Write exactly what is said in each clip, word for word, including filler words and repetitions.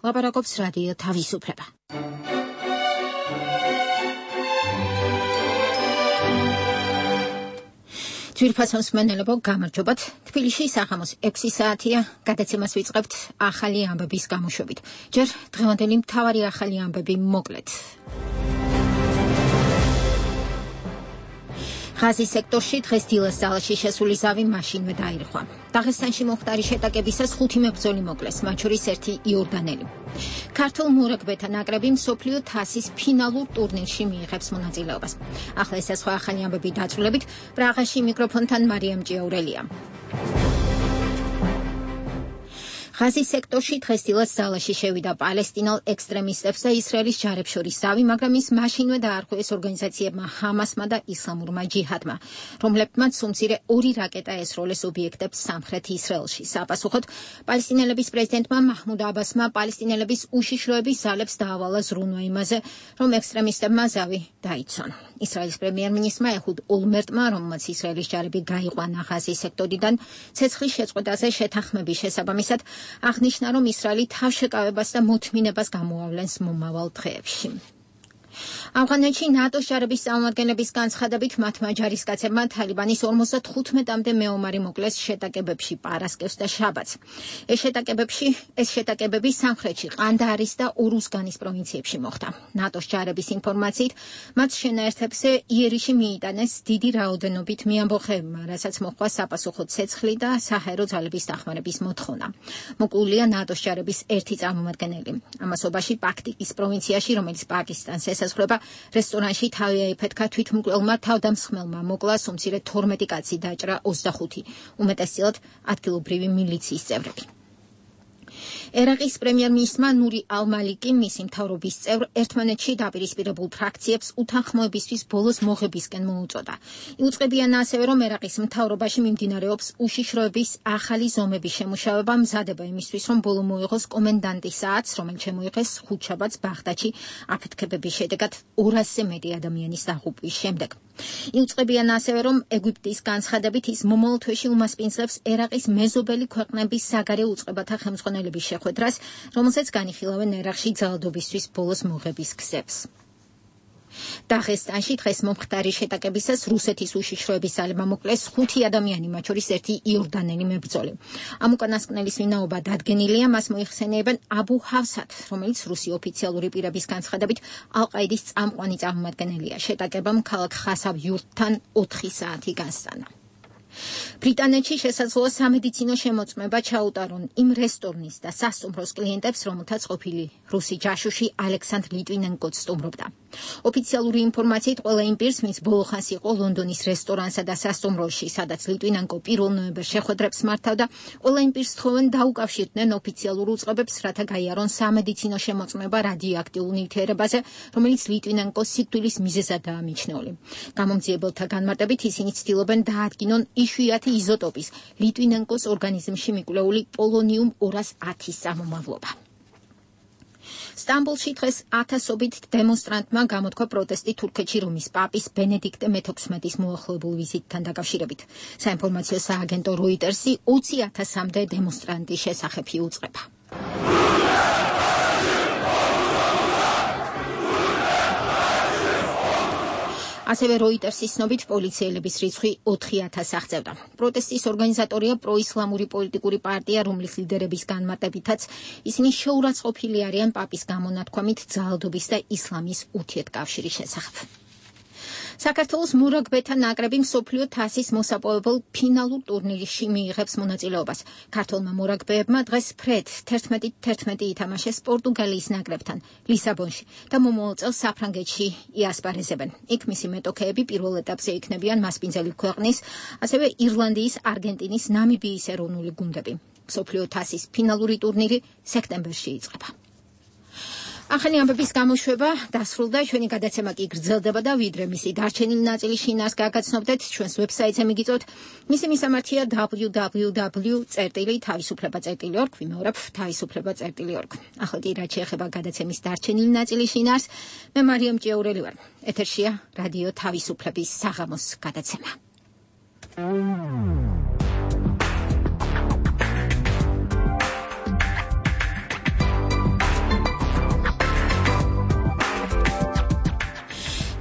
ლაპარაკობს რადიო თავისუფლება. ძვირფასოს მენელებო გამარჯობათ. თბილისში საღამოს ექვსი საათია, გადაცემას ვიწყებთ ახალი ამბების გამოშვებით. ჯერ დღევანდელი მთავარი ახალი ამბები მოკლედ. ღაზის სექტორში დღეს დილას ძალაში შესული ზავი მაშინვე დაირღვა. დაღესტანში მომხდარი შეტაკებისას ხუთი მებრძოლი მოკლეს, მათ შორის ერთი იორდანელი. ქართულ მურაგბეთა ნაკრები მსოფლიო თასის ფინალურ ტურნირში მიიღებს მონაწილეობას. ახლა ეს სხვა ახალი ამბები დაწვრილებით, პრაღაში მიკროფონთან მარიამ ჭიაურელია. ღაზის სექტორში დღეს დილას ძალაში შევიდა პალესტინელ ექსტრემისტებს და ისრაელის ჯარებს შორის ზავი, მაგრამ ის მაშინვე დაარღვევეს ორგანიზაციებმა ჰამასმა და ისლამურმა ჯიჰადმა, რომლებმაც უმცირე ორი რაკეტა ესროლეს ობიექტებს სამხრეთ ისრაელში. საპასუხოდ პალესტინელების პრეზიდენტმა მაჰმუდ აბასმა პალესტინელების უშიშროების ძალებს დაავალა ზრუნვა იმაზე, რომ ექსტრემისტებმა ზავი დაიცვან. ისრაელის პრემიერ-მინისტრმა ეჰუდ ოლმერტმა, რომელმაც ისრაელის ჯარები გაიყვანა ღაზის სექტორიდან, ცეცხლის შეწყვეტაზე შეთანხმების შესაბამისად აღნიშნა, რომ ისრაელი თავშეკავებას და მოთმინებას გამოავლენს მომავალ დღეებში. ავღანეთში ნატოს ჯარების წარმომადგენლების განცხადებით მათმა ჯარისკაცებმა თალიბანის ორმოცდახუთმეტამდე მეომარი მოკლეს შეტაკებებში პარასკევს და შაბათს. ეს შეტაკებებში, ეს შეტაკებები სამხრეთში, ყანდაარის და ურუზგანის პროვინციებში მოხდა. ნატოს ჯარების ინფორმაციით, მათ შენაერთებზე იერიში მიიტანეს დიდი რაოდენობით მეამბოხეებმა, რასაც მოჰყვა საპასუხო ცეცხლი და საჰაერო ძალების დახმარების მოთხოვნა. მოკლულია ნატოს ჯარების ერთი წარმომადგენელი. ამასობაში პაქტიკის პროვინციაში, რომელიც პაკისტანს ესაზღვრება, რესტორანში თავი აიფეთქა თვითმკვლელმა თავდამსხმელმა, მოკლა უმცირე თორმეტი კაცი, დაჭრა ოცდახუთი, უმეტესწილად ადგილობრივი მილიციის წევრები. ერაყის პრემიერ-მინისტრმა ნური ალ-მალიკი მისი მთავრობის წევრ ერთმანეთში დაპირისპირებულ ფრაქციებს უთანხმოებისთვის ბოლოს მოღებისკენ მოუწოდა. იუწყებიან ასევე, რომ ერაყის მთავრობაში მიმდინარეობს უშიშროების ახალი ზომების შემუშავება, მზადება იმისთვის, რომ ბოლო მოიღოს კომენდანტის საათს, რომელიც შემოიღეს ხუთშაბათს ბაღდადში აფეთქებების შედეგად ორასზე მეტი ადამიანის დაღუპვის შემდეგ. იუწყებიან ასევე, რომ ეგვიპტის განცხადებით ის მომავალ თვეში უმასპინძლებს ერაყის მეზობელი ქვეყნების საგარეო უწყებათა ხელმძღვანელების შეხვედრას, რომელსაც განიხილავენ ერაყში ძალადობისთვის ბოლოს მოღების გზებს. დაღესტანში დღეს მომხდარი შეტაკებისას რუსეთის უშიშროების ძალებმა მოკლეს ხუთი ადამიანი, მათ შორის ერთი იორდანელი მებრძოლი. ამ უკანასკნელის ვინაობა დადგენილია, მას მოიხსენიებენ აბუ ჰავსად, რომელიც რუსი ოფიციალური პირების განცხადებით ალ-ყაიდის წამყვანი წარმომადგენელია. შეტაკებამ ქალაქ ხასავ იურტთან ოთხი საათი გასტანა. ბრიტანეთში შესაძლოა სამედიცინო შემოწმება ჩაუტარონ იმ რესტორნის და სასტუმროს კლიენტებს, რომელთაც ყოფილი რუსი ჯაშუში ალექსანდრ ლიტვინენკო სტუმრობდა. ოფიციალური ინფორმაციით ყველა იმ პირს, ვინც ბოლო ხანს იყო ლონდონის რესტორანსა და სასტუმროში, სადაც ლიტვინენკო პირველ ნოემბერს შეხვედრებს მართავდა, ყველა იმ პირს თხოვენ დაუკავშირდნენ ოფიციალურ უწყებებს, რათა გაიარონ სამედიცინო შემოწმება რადიოაქტიურ ნივთიერებაზე, რომელიც ლიტვინენკოს სიკვდილის მიზეზად დაამიჩნეული. გამომძიებელთა განმარტებით ისინი ცდილობენ დაადგინონ იშვიათი იზოტოპის ლიტვინენკოს ორგანიზმში მიკვლეული პოლონიუმ ორას ათის წარმომავლობა. სტამბოლში დღეს ათასობით დემონსტრანტმა გამოთქვა პროტესტი თურქეთში რომის პაპის ბენედიქტე მეთოთხმეტის მოახლოებულ ვიზიტთან დაკავშირებით. საინფორმაციო სააგენტო როიტერსი ოცი ათასამდე დემონსტრანტის შესახებ იუწყება. ასევე როიტერსის ცნობით პოლიციელების რიცხვი ოთხი ათასს აღწევდა. პროტესტის ორგანიზატორია პროისლამური პოლიტიკური პარტია, რომლის ლიდერების განმარტებითაც ისინი შეურაცხყოფილი არიან პაპის გამონათქვამით ძალადობის და ისლამის ურთიერთკავშირის შესახებ. საქართველოს მურაგბეთა ნაკრები მსოფლიო თასის მოსაპოვებელ ფინალურ ტურნირში მიიღებს მონაწილეობას. ქართველმა მურაგბეებმა დღეს ფრედ თერთმეტი თერთმეტი ითამაშეს პორტუგალიის ნაკრებთან ლისაბონში და მომავალ წელს საფრანგეთში იასპარეზებენ. იქ მისი მეტოქეები პირველ ეტაპზე იქნებიან მასპინძელი ქვეყნის, ასევე ირლანდიის, არგენტინის, ნამიბიის ეროვნული გუნდები. მსოფლიო თასის ფინალური ტურნირი სექტემბერში იწყება. ახალი ამბების გამოშვება დასრულდა, ჩვენი გადაცემა კი გრძელდება და ვიდრე მისი დარჩენილი ნაწილი შინას გაგაცნობდეთ, ჩვენს ვებსაიტზე მიგიწევთ. მისი მისამართია დაბლიუ დაბლიუ დაბლიუ წერტილი თავისუფლება წერტილი ორგ, ვიმეორებ თავისუფლება წერტილი ორგ. ახლა კი რაც შეეხება გადაცემის დარჩენილი ნაწილი შინას, მე მარიამ ჭიაურელი ვარ. ეთერშია რადიო თავისუფლების საღამოს გადაცემა.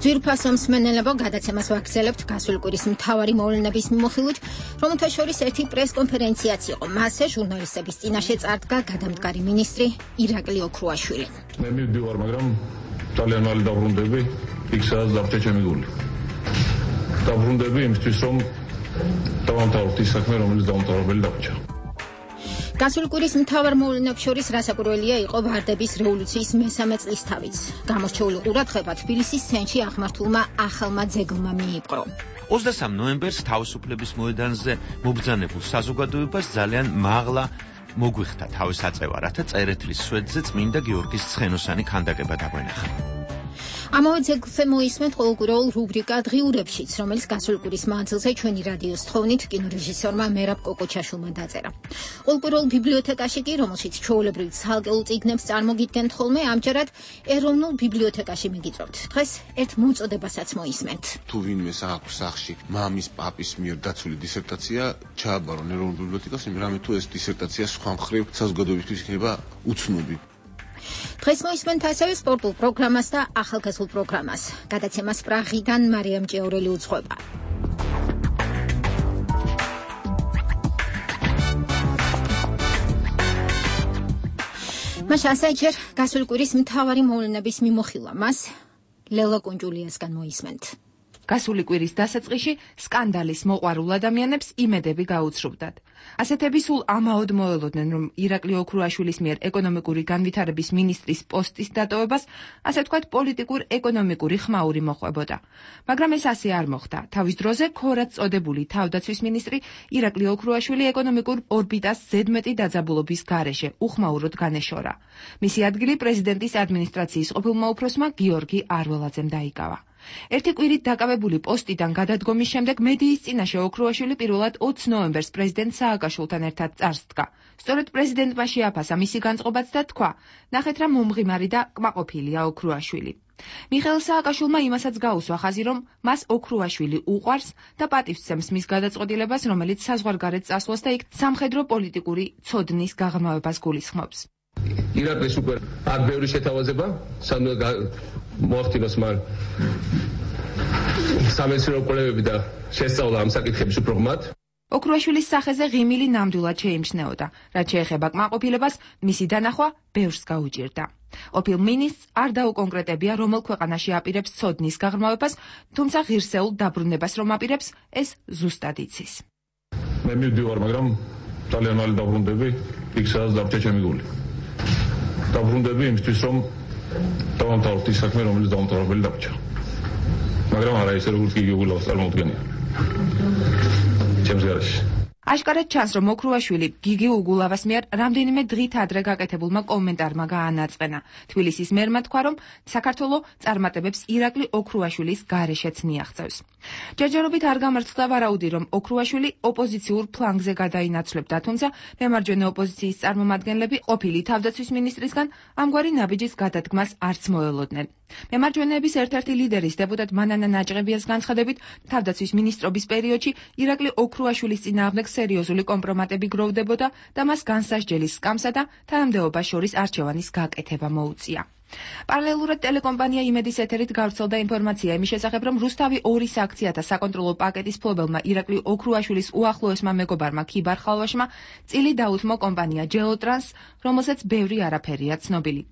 ძვირფასო მსმენელებო, გადაცემას ვაგრძელებთ გასული კვირის მთავარი მოვლენების მიმოხილვით, რომელთა შორის ერთი პრეს-კონფერენციაც იყო. მასზე ჟურნალისტების წინაშე წარდგა გადამდგარი მინისტრი ირაკლი ოქრუაშვილი. მე მივდივარ, მაგრამ ძალიან მალე დაბრუნდები, იქ სადაც დარჩა ჩემი გული. დაბრუნდები იმისთვის, რომ დავამთავროთ ის საქმე, რომელიც დაუმთავრებელი დარჩა. გასული კვირის მთავარ მოვლენებს შორის რასაკვირველია იყო ვარდების რევოლუციის მესამე წლისთავიც. გამორჩეული ყურადღება თბილისის სცენში აღმართულმა ახალმა ძეგლმა მიიპყრო. ოცდასამ ნოემბერს თავისუფლების მოედანზე მობრძანებულ საზოგადოებას ძალიან მაღლა მოგვიხდა თავის აწევა, რათა წერეთლის სვეტზე წმინდა გიორგის ცხენოსანი ქანდაკება დაგვენახა. ამავე ძეგლზე მოისმენთ ყოველკვირეულ რუბრიკა დღიურებშიც, რომელიც გასული კვირის მანძილზე ჩვენი რადიოს თხოვნით კინორეჟისორმა მერაბ კოკოჩაშვილმა დაწერა. ყოველკვირეულ ბიბლიოთეკაში კი, რომელშიც ჩვეულებრივ ცალკეულ წიგნებს წარმოგიდგენთ ხოლმე, ამჯერად ეროვნულ ბიბლიოთეკაში მიგიწევთ. დღეს ერთ მოწოდებასაც მოისმენთ. თუ ვინმეს აქვს სახში მამის პაპის მიერ დაცული დისერტაცია, ჩააბარონ ეროვნულ ბიბლიოთეკას, რამე თუ ეს დისერტაცია სხვა მხრივ საზოგადოებისთვის იქნება უცნობი. დღეს მოისმენთ ასევე სპორტულ პროგრამას და ახალგაზრდულ პროგრამას. გადაცემას პრაღიდან მარიამ ჭეორელი უძღვება. მაშა საჯერ გასული კვირის მთავარი მოვლენების მიმოხილვა. მას ლელა კუნჯულიასგან მოისმენთ. გასული კვირის დასაწყისში სკანდალის მოყვარულ ადამიანებს იმედები გაუცრუბრდათ. ასეთები სულ ამაოდ მოელოდნენ, რომ ირაკლი ოქრუაშვილის მიერ ეკონომიკური განვითარების მინისტრის პოსტის დატოვებას, ასე ვთქვათ, პოლიტიკურ-ეკონომიკური ხმაური მოყვებოდა. მაგრამ ეს ასე არ მოხდა. თავის დროზე ქორად წოდებული თავდაცვის მინისტრი ირაკლი ოქრუაშვილი ეკონომიკურ ორბიტას ზედმეტი დაძაბულობის გარეშე უხმაუროდ განეშორა. მისი ადგილი პრეზიდენტის ადმინისტრაციის ყოფილმა უფროსმა გიორგი არველაძემ დაიკავა. ერთი კვირით დაკავებული პოსტიდან გადადგომის შემდეგ მედიის წინაშე ოქრუაშვილი პირველად ოცი ნოემბერს პრეზიდენტ სააკაშვილთან ერთად წარსდგა. სწორედ პრეზიდენტმა შეაფასა მისი განწყობაც და თქვა: ნახეთ რა მომღიმარი და კმაყოფილია ოქრუაშვილი. მიხეილ სააკაშვილმა იმასაც გაუსვა ხაზი, რომ მას ოქრუაშვილი უყვარს და პატივსცემს მის გადაწყვეტილებას, რომელიც საზღვარგარეთ წასვლას და იქ სამხედრო პოლიტიკური ცოდნის გაღრმავებას გულისხმობს. ირაკლის უკვე არ ბევრი შეთავაზება, სანამ მოახდინოს მან სამეცნიერო კვლევები და შესწავლა ამ საკითხების უფრო ღრმად. ოქრუაშვილის სახეზე ღიმილი ნამდვილად შეიმჩნეოდა. რაც შეეხება კმაყოფილებას, მისი დანახვა ბევრს გაუჭირდა. ყოფილ მინისტრს არ დაუკონკრეტებია, რომელ ქვეყანაში აპირებს ცოდნის გაღრმავებას, თუმცა ღირსეულ დაბრუნებას რომ აპირებს, ეს ზუსტად იცის. მე მივდივარ, მაგრამ ძალიან მალე დაბრუნდები, იქ სადაც დარჩა ჩემი გული. დაბრუნდები იმისთვის, რომ დავამთავროთ ის საქმე, რომელიც დაუმთავრებელი დარჩა. მაგრამ არა ისე, როგორც გიგი უგულავს წარმოუდგენია. ჩემს გარშე. აშკარად ჩანს, რომ ოქრუაშვილი გიგი უგულავას მიერ რამდენიმე დღით ადრე გაკეთებულმა კომენტარმა გაანაწყენა. თბილისის მერმა თქვა, რომ საქართველო წარმატებებს ირაკლი ოქრუაშვილის გარეშეც მიაღწევს. ჯერჯერობით არ გამართლდა ვარაუდი, რომ ოქრუაშვილი ოპოზიციურ ფლანგზე გადაინაცვლებდა, თუმცა მემარჯვენე ოპოზიციის წარმომადგენლები ყოფილი თავდაცვის მინისტრისგან ამგვარი ნაბიჯის გადადგმას არც მოელოდნენ. მემარჯვენეების ერთ-ერთი ლიდერის დეპუტატ მანანა ნაჭყებიას განცხადებით, თავდაცვის მინისტრობის პერიოდში ირაკლი ოქრუაშვილის წინააღმდეგ სერიოზული კომპრომატები გროვდებოდა და მას განსასჯელის სკამსა და თანამდებობას შორის არჩევანის გაკეთება მოუწია. პარალელურად ტელეკომპანია იმედის ეთერით გავრცელდა ინფორმაცია იმის შესახებ, რომ რუსთავი ორი საქციათა საკონტროლო პაკეტის მფლობელმა ირაკლი ოქრუაშვილის უახლოესმა მეგობარმა ქიბარ ხალვაშმა წილი დაუთმო კომპანია ჯელოტრანს, რომელსაც ბევრი არაფერია ცნობილი.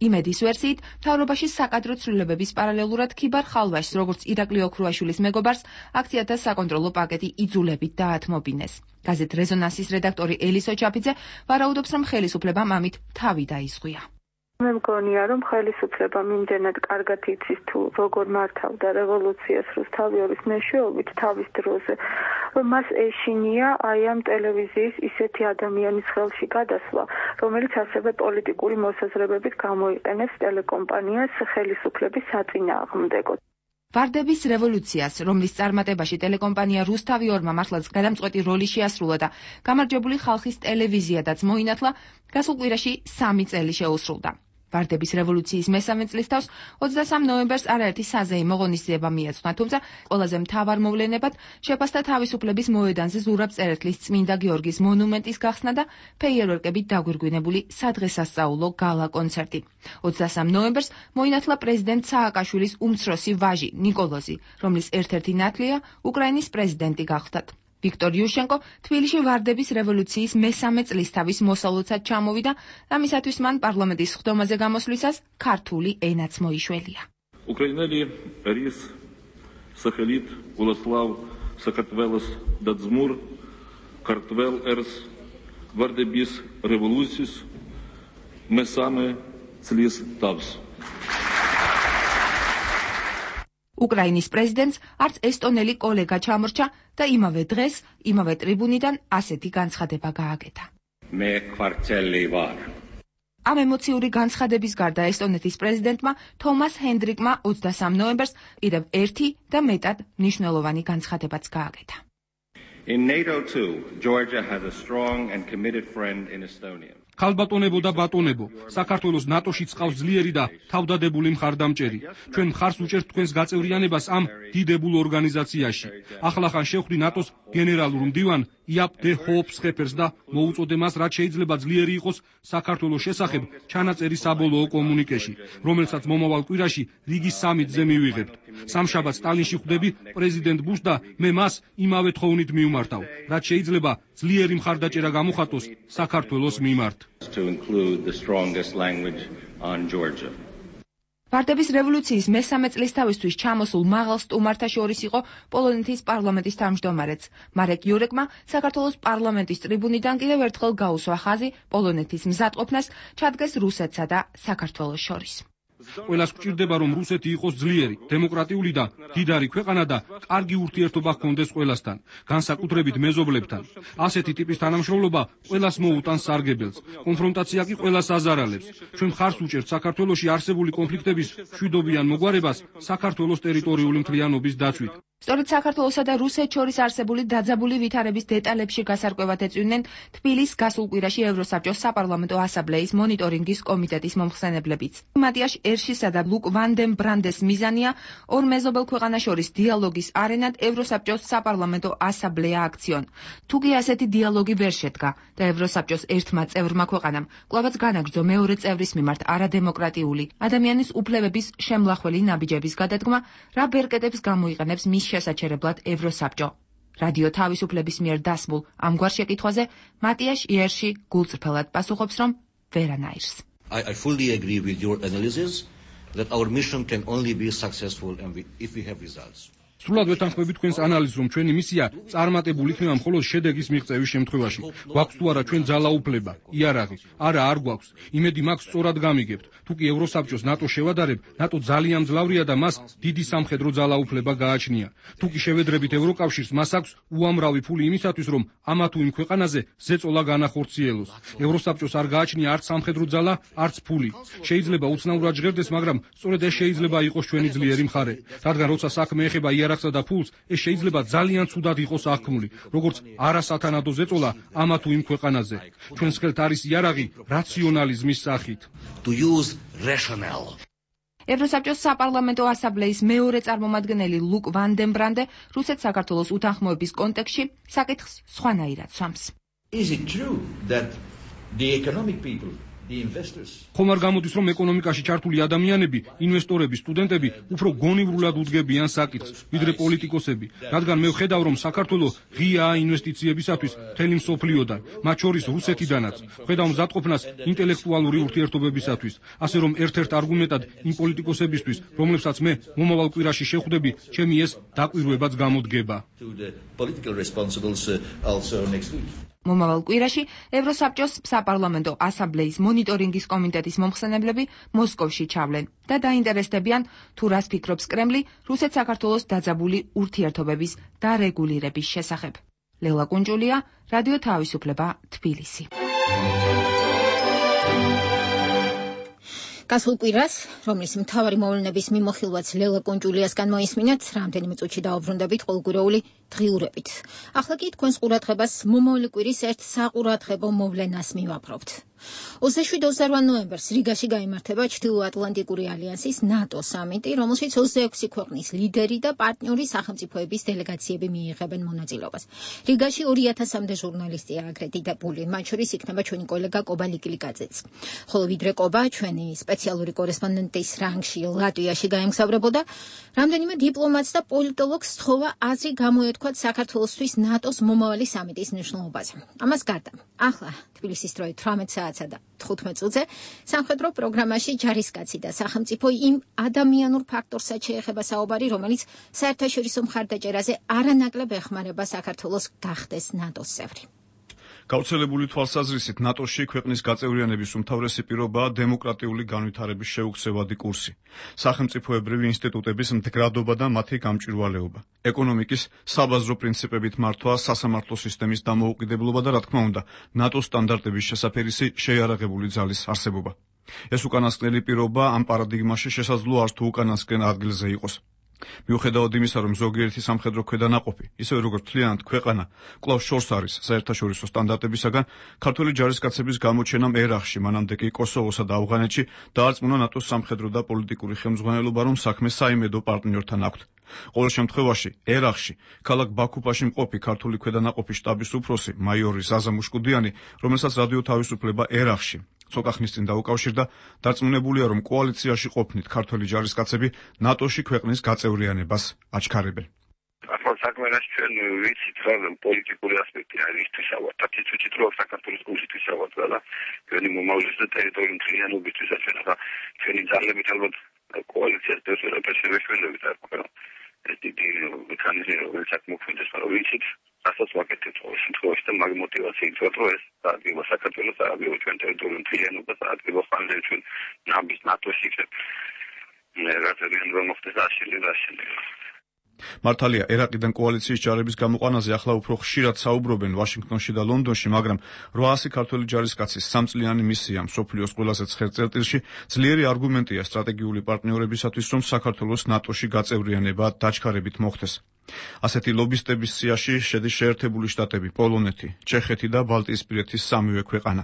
იმედის ვერსიით, მთავრობაში საკადრო ცვლილებების პარალელურად ქიბარ ხალვაშს, როგორც ირაკლი ოქრუაშვილის მეგობარს, აქციათა საკონტროლო პაკეტი იძულებით დაათმობინეს. გაზეთ რეზონანსის რედაქტორი ელისო ჩაფიძე ვარაუდობს, რომ ხელისუფლებამ ამით თავი დაიზღვია. მე მგონია, რომ ხელისუფლებამ იმდენად კარგად იცის თუ როგორ მართავდა რევოლუციას რუსთავი ორის მეშვეობით თავის დროზე, რომ მას ეშინია აი ამ ტელევიზიის ისეთი ადამიანის ხელში გადასვლა, რომელიც ასევე პოლიტიკური მოსაზრებებით გამოიყენებს ტელეკომპანიას ხელისუფლების საწინააღმდეგოდ. ვარდების რევოლუციას, რომლის წარმატებაში ტელეკომპანია რუსთავი ორმა მართლაც გადამწყვეტი როლი შეასრულა და გამარჯვებული ხალხის ტელევიზიადაც მოინათლა, გასულ კვირაში სამი წელი შეუსრულდა. ვარდების რევოლუციის მესამე წლისთავს ოცდასამ ნოემბერს არაერთი საზეიმო ღონისძიება მიეძღვნა, თუმცა ყველაზე მთავარ მოვლენებად შეფასდა თავისუფლების მოედანზე ზურაბ წერეთლის წმინდა გიორგის მონუმენტის გახსნა და ფეიერვერკებით დაგვირგვინებული სადღესასწაულო გალა კონცერტი. ოცდასამ ნოემბერს მოინათლა პრეზიდენტ სააკაშვილის უმცროსი ვაჟი ნიკოლოზი, რომლის ერთ-ერთი ნათლია უკრაინის პრეზიდენტი გახდათ. ვიქტორ იუშენკო თბილისში ვარდების რევოლუციის მესამე წლისთავის მოსალოცად ჩამოვიდა, ამისათვის მან პარლამენტის ხდომაზე გამოსვლისას ქართული ენაც მოიშველია. უკრაინელი რის სახელით ულასლავ საქართველოს დაძმურ ქართველ ერს ვარდების რევოლუციის მესამე წლის თავს. უკრაინის პრეზიდენტს არც ესტონელი კოლეგა ჩამორჩა და იმავე დღეს, იმავე ტრიბუნიდან ასეთი განცხადება გააკეთა. მე კვარტელი ვარ. ამ ემოციური განცხადების გარდა ესტონეთის პრეზიდენტმა თომას ჰენდრიკმა ოცდასამ ნოემბერს კიდევ ერთი და მეტად მნიშვნელოვანი განცხადებაც გააკეთა. In NATO too, Georgia has a strong and committed friend in Estonia. ქალბატონებო და ბატონებო, საქართველოს ნატოშიც ყავს ძლიერი და თავდადებული მხარდამჭერი. ჩვენ მხარს უჭერთ თქვენს გაწევრიანებას ამ დიდებულ ორგანიზაციაში. ახლახან შევხვდი ნატოს გენერალურ მდივან იაპ დე ჰოოპსხეფერს და მოუწოდე მას, რაც შეიძლება ძლიერი იყოს საქართველოს შესახებ ჩანაწერი საბოლოო კომუნიკეში, რომელსაც მომავალ კვირაში რიგის სამიტზე მივიღებთ. სამშაბათს სტალინში ხვდები პრეზიდენტ ბუშს და მე მას იმავე თხოვნით მივმართავ, რაც შეიძლება ძლიერი მხარდაჭერა გამოხატოს საქართველოს მიმართ. To include the strongest language on Georgia. ვარდების რევოლუციის მესამე წლისთავისთვის ჩამოსულ მაღალ სტუმართა შორის იყო პოლონეთის პარლამენტის თავმჯდომარეც. მარეკ იურეკმა საქართველოს პარლამენტის ტრიბუნიდან კიდევ ერთხელ გაუსვა ხაზი პოლონეთის მზადყოფნას ჩადგეს რუსეთსა და საქართველოს შორის. ყველას გვჭირდება, რომ რუსეთი იყოს ძლიერი, დემოკრატიული და დიდარი ქვეყანა და კარგი ურთიერთობა ჰქონდეს ყველასთან, განსაკუთრებით მეზობლებთან. ასეთი ტიპის თანამშრომლობა ყველას მოუტანს სარგებელს. კონფრონტაცია კი ყველას აზარალებს. ჩვენ მხარს უჭერთ საქართველოში არსებული კონფლიქტების მშვიდობიან მოგვარებას საქართველოს ტერიტორიული მთლიანობის დაცვით. სწორედ საქართველოსა და რუსეთს შორის არსებული დაძაბული ვითარების დეტალებში გასარკვევად ეწვივნენ თბილისს გასულ კვირაში ევროსაბჭოს საპარლამენტო ასამბლეის მონიტორინგის კომიტეტის მომხსენებლებიც. მატიაშ ერშისა და ლუკ ვან დემ ბრანდეს მიზანია ორ მეზობელ ქვეყანას შორის დიალოგის არენად ევროსაბჭოს საპარლამენტო ასამბლეა აქციონ. თუ კი ასეთი დიალოგი ვერ შედგა და ევროსაბჭოს ერთმა წევრმა ქვეყანამ კვლავაც განაგრძო მეორე წევრის მიმართ არადემოკრატიული ადამიანის უფლებების შემლახველი ნაბიჯების გადადგმა, რა ბერკეტებს გამოიყენებს მის შესაჩერებლად ევროსაბჭო. რადიო თავისუფლების მიერ დასმულ ამგვარ შეკითხვაზე მატიაშ იერში გულწრფელად პასუხობს, რომ ვერანაირს. I, I fully agree with your analysis that our mission can only be successful and we, if we have results. სრულად ვეთანხმები თქვენს ანალიზს, რომ ჩვენი მისია წარმატებული იქნება მხოლოდ შედეგის მიღწევის შემთხვევაში. გვაქვს თუ არა ჩვენ ძალაუფლება, იარაღი? არა, არ გვაქვს. იმედი მაქვს, სწორად გამიგებთ. თუ კი ევროსაბჭოს ნატო შევადარებ, ნატო ძალიან მძლავრია და მას დიდი სამხედრო ძალაუფლება გააჩნია. თუ კი შევედრებით ევროკავშირს, მას აქვს უამრავი ფული იმისათვის, რომ ამა თუ იმ ქვეყანაზე ზეწოლა განახორციელოს. ევროსაბჭოს არ გააჩნია არც სამხედრო ძალა, არც ფული. შეიძლება უცნაურად ჟღერდეს, მაგრამ სწორედ ეს შეიძლება იყოს ჩვენი ძლიერი მხარე. რადგან როცა საქმე ეხება იარაღსა და ფულს, ეს შეიძლება ძალიან ცუდად იყოს აღქმული, როგორც არასათანადო ზეწოლა ამა თუ იმ ქვეყანაზე. ჩვენს ხელთ არის იარაღი რაციონალიზმის სახით. To use rationale. ევროსაბჭოს საპარლამენტო ასამბლეის მეორე წარმომადგენელი ლუკ ვან დემ ბრანდე რუსეთ საქართველოს უთანხმოების კონტექსტში საკითხს სხვანაირად სვამს. Is it true that the economic people, the investors ხომ არ გამოდის, რომ ეკონომიკაში ჩართული ადამიანები, ინვესტორები, სტუდენტები უფრო გონივრულად უდგებიან საკითხს, ვიდრე პოლიტიკოსები, რადგან მე ვხედავ, რომ საქართველო ღიაა ინვესტიციებისათვის მთელი მსოფლიოდან, მათ შორის რუსეთიდანაც. ვხედავ მზადყოფნას ინტელექტუალური ურთიერთობებისათვის, ასე რომ ერთ-ერთ არგუმენტად იმ პოლიტიკოსებისთვის, რომლებსაც მე მომავალ კვირაში შევხვდები, ჩემი ეს დაკვირვებაც გამოდგება. to the political responsibles uh, also next week. მომავალ კვირაში ევროსაბჭოს საპარლამენტო ასამბლეის მონიტორინგის კომიტეტის მომხსენებლები მოსკოვში ჩავლენ და დაინტერესდებიან, თუ რას ფიქრობს კრემლი რუსეთ-საქართველოს დაძაბული ურთიერთობების დარეგულირების შესახებ. ლელა კუნჯულია, რადიო თავისუფლება, თბილისი. გასულ კვირას, რომლის მთავარი მოვლენების მიმოხილვაც ლელა კუნჯულიასგან მოისმინეთ, რამდენიმე წუთში დაუბრუნდებით ყოველკვირეული დღიურებით. ახლა კი თქვენს ყურადღებას მომავალი კვირის ერთ საყურადღებო მოვლენას მივაპრობთ. ოცდაშვიდ ოცდარვა ნოემბერს რიგაში გაიმართება ჩრდილოატლანტიკური ალიანსის ნატო სამიტი, რომელშიც ოცდაექვსი ქვეყნის ლიდერი და პარტნიორი სახელმწიფოების დელეგაციები მიიღებენ მონაწილეობას. რიგაში ორი ათასამდე ჟურნალისტია აკრედიტებული, მათ შორის იქნება ჩვენი კოლეგა კობა ლიკილიკაძეც. ხოლო ვიდრე კობა ჩვენი სპეციალური კორესპონდენტის რანგში ლატვიაში გაემგზავრებოდა, რამდენიმე დიპლომატს და პოლიტოლოგს სთხოვა აზრი გამოეთქვათ საქართველოსთვის ნატოს მომავალი სამიტის მნიშვნელობაზე. ამას გარდა, ახლა თბილისის დროით თვრამეტ საათსა და თხუთმეტ წუთზე სამხედრო პროგრამაში ჯარისკაცი და სახელმწიფო იმ ადამიანურ ფაქტორსაც შეეხება საუბარი, რომელიც საერთაშორისო მხარდაჭერაზე არანაკლებ ეხმარება საქართველოს გახდეს ნატოს წევრი. გავრცელებული თვალსაზრისით ნატოში ქვეყნის გაწევრიანების უმთავრესი პირობაა დემოკრატიული განვითარების შეუქცევადი კურსი, სახელმწიფოებრივი ინსტიტუტების მდგრადობა და მათი გამჭვირვალეობა, ეკონომიკის საბაზრო პრინციპებით მართვა, სასამართლო სისტემის დამოუკიდებლობა და რა თქმა უნდა, ნატოს სტანდარტების შესაფერისი შეიარაღებული ძალის არსებობა. ეს უკანასკნელი პირობა ამ პარადიგმაში შესაძლოა არც თუ უკანასკნელ ადგილზე იყოს. მიუხედავად იმისა, რომ ზოგიერთი სამხედრო ქვედანაყოფი, ისევე როგორც მთლიანად ქვეყანა, კვლავ შორს არის საერთაშორისო სტანდარტებისაგან, ქართველი ჯარისკაცების გამოჩენამ ერახში, მანამდე კი კოსოვოსა და ავღანეთში დაარწმუნა ნატოს სამხედრო და პოლიტიკური ხელმძღვანელობა, რომ საქმე საიმედო პარტნიორთან აქვთ. ყოველ შემთხვევაში, ერახში, ქალაქ ბაქუფაში მყოფი ქართული ქვედანაყოფი შტაბის უფროსი, მაიორი ზაზა მუშკუდიანი, რომელსაც რადიო თავისუფლება ერახში ცოტა ხნის წინ დაუკავშირდა, დარწმუნებულია, რომ კოალიციაში ყოფნით ქართველი ჯარისკაცები ნატოში ქვეყნის გაწევრიანებას აჩქარებენ. ახლა საქმეში ჩვენ ვიცით, რომ პოლიტიკური ასპექტი არის ისთვისავად, თვითონ რომ საქართველოს კონსტიტუციისავად და ჩვენი მომავლის და ტერიტორიული მთლიანობისთვის ჩვენ ახლა ჩვენი ძალებით ალბათ კოალიციას დაშერებებით არ გვქონდა. ეს დიდი მექანიზმი, რომელიც აქ მოქმედებს, მაგრამ ვიცით, რასაც ვაკეთებთ ყოველ შემთხვევაში და მაგ მოტივაციით ვარ, რომ ეს დაადგება საქართველოს, დაადგება ჩვენ ტერიტორიული მთლიანობა, დაადგება ხალხი ჩვენ ნაბის ნატოში რაღაცებიან რომ მოხდეს აშილი და აშილი. მართალია, ერაყიდან კოალიციის ჯარების გამოყვანაზე ახლა უფრო ხშირად საუბრობენ ვაშინგტონში და ლონდონში, მაგრამ რვაასი ქართველი ჯარისკაცის სამწლიანი მისია მსოფლიოს ყველაზე ცხელ წერტილში ძლიერი არგუმენტია სტრატეგიული პარტნიორებისათვის, რომ საქართველოს ნატოში გაწევრიანება დაჩქარებით მოხდეს. ასეთი ლობისტების სიაში შედის შეერთებული შტატები, პოლონეთი, ჩეხეთი და ბალტიისპირეთის სამივე ქვეყანა.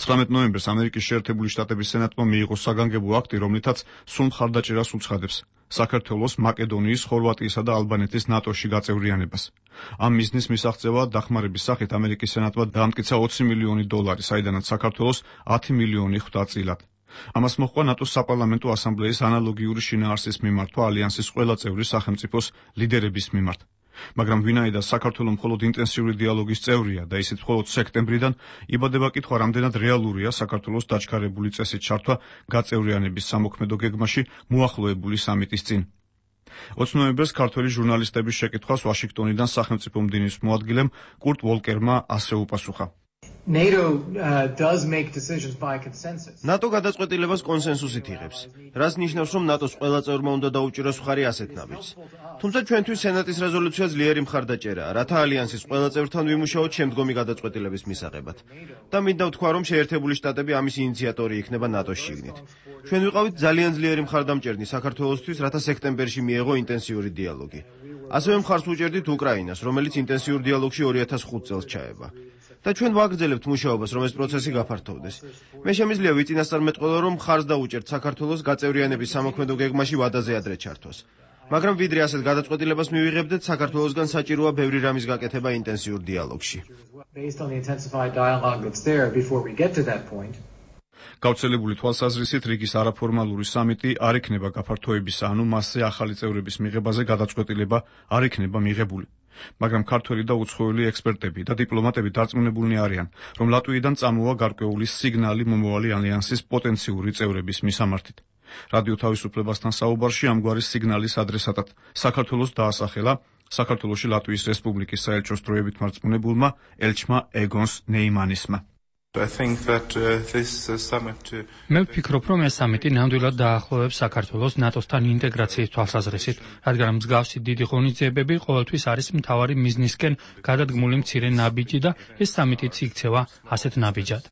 ცხრამეტ ნოემბერს ამერიკის შეერთებული შტატების სენატმა მიიღო საგანგებო აქტი, რომლითაც სულ მხარდაჭერას უცხადებს საქართველოს, მაკედონიის, ხორვატიისა და ალბანეთის ნატოში გაწევრიანებას. ამ მიზნის მისაღწევად დახმარების სახით ამერიკის სენატმა დაამტკიცა ოცი მილიონი დოლარი, საიდანაც საქართველოს ათი მილიონი ხვდა წილად. ამას მოჰყვა ნატოს საპარლამენტო ასამბლეის ანალოგიური შინაარსის მიმართვა ალიანსის ყველა წევრი სახელმწიფოს ლიდერების მიმართ. მაგრამ ვინაიდან საქართველოს მხოლოდ ინტენსიური დიალოგის წევრია და ისიც მხოლოდ სექტემბრიდან, იბადება კითხვა, რამდენად რეალურია საქართველოს დაჩქარებული წესით ჩართვა გაწევრიანების სამოქმედო გეგმაში მოახლოებული სამიტის წინ. ოცი ნოემბერს ქართველი ჟურნალისტების შეკითხვას ვაშინგტონიდან სახელმწიფო მდივნის მოადგილემ კურტ ვოლკერმა ასე უპასუხა. NATO uh, does make decisions by consensus. ნატო გადაწყვეტილებას კონსენსუსით იღებს, რაც ნიშნავს, რომ ნატოს ყველა წევრმა უნდა დაუჭიროს მხარი ასეთ ნაბიჯს. თუმცა ჩვენთვის სენატის რეზოლუცია ძლიერი მხარდაჭერაა, რათა ალიანსის ყველა წევრთან ვიმუშაოთ შემდგომი გადაწყვეტილების მისაღებად. და მინდა ვთქვა, რომ შეერთებული შტატები ამის ინიციატორი იქნება ნატოს შიგნით. ჩვენ ვიყავით ძალიან ძლიერი მხარდამჭერნი საქართველოსთვის, რათა სექტემბერში მიეღო ინტენსიური დიალოგი. ასევე მხარს უჭერდით უკრაინას, რომელიც ინტენსიურ დიალოგში ორი ათას ხუთ წელს ჩაება. და ჩვენ ვაგრძელებთ მუშაობას, რომ ეს პროცესი გაფართოვდეს. მე შემიძლია ვიწინასწარმეტყველო, რომ მხარს დაუჭერთ საქართველოს გაწევრიანების სამოქმედო გეგმაში ვადაზე ადრე ჩართვას. მაგრამ ვიდრე ასეთ გადაწყვეტილებას მივიღებდეთ, საქართველოსგან საჭიროა ბევრი რამის გაკეთება ინტენსიურ დიალოგში. გავრცელებული თვალსაზრისით რიგის არაფორმალური სამიტი არ იქნება გაფართოებისა, ანუ მასზე ახალი წევრების მიღებაზე გადაწყვეტილება არ იქნება მიღებული. მაგრამ ქართველი და უცხოელი ექსპერტები და დიპლომატები დარწმუნებულნი არიან, რომ ლატვიიდან წამოვა გარკვეული სიგნალი მომავალი ალიანსის პოტენციური წევრების მისამართით. რადიო თავისუფლებასთან საუბარში ამგვარი სიგნალის ადრესატად საქართველოს დაასახელა საქართველოში ლატვიის რესპუბლიკის საელჩოს დროებით მარწმუნებულმა ელჩმა ეგონს ნეიმანისმა. მე ვფიქრობ, რომ ეს სამიტი ნამდვილად დაახლოებს საქართველოს ნატოსთან ინტეგრაციის თვალსაზრისით, რადგან მსგავსი დიდი ღონისძიებები ყოველთვის არის მთავარი მიზნისკენ გადადგმული მცირე ნაბიჯი და ეს სამიტიც იქცევა ასეთ ნაბიჯად.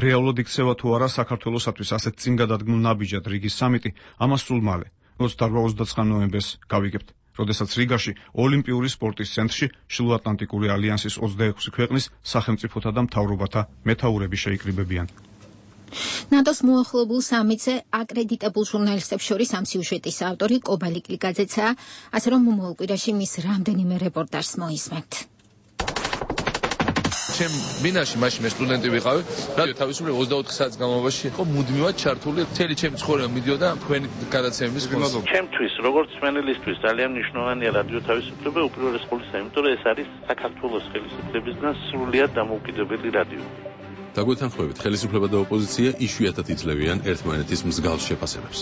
რეალურად იქცევა თუ არა საქართველოსათვის ასეთ წინ გადადგმულ ნაბიჯად რიგის სამიტი, ამას სულ მალე, ოცდაოთხ ოცდაცხრა ნოემბერს გავიგებთ. როდესაც რიგაში ოლიმპიური სპორტის ცენტრში შილოატლანტიკური ალიანსის ოცდაექვსი ქვეყნის სახელმწიფოთა და მთავრობათა მეთაურები შეიკრიბებიან. ნატოს მოახლოებულ სამიტზე აკრედიტებულ ჟურნალისტებს შორის ამ სიუჟეტის ავტორი კობალი კლიკაძეცაა, ასე რომ მომავალ კვირაში მის რამდენიმე რეპორტაჟს მოისმენთ. ჩემ ბინაში მაშინ მე სტუდენტი ვიყავი, რადიო თავისუფლება ოცდაოთხ საათის განმავლობაში იყო მუდმივად ჩართული, მთელი ჩემი ცხოვრება მიდიოდა თქვენი გადაცემების ხმაზე. ჩემთვის, როგორც მენელისთვის, ძალიან მნიშვნელოვანია რადიო თავისუფლება უპირველეს ყოვლისა, იმიტომ რომ ეს არის საქართველოს ხელისუფლებისგან სრულიად დამოუკიდებელი რადიო. დაგვეთანხმებით, ხელისუფლება და ოპოზიცია იშვიათად იძლევიან ერთმანეთის მსგავს შეფასებებს.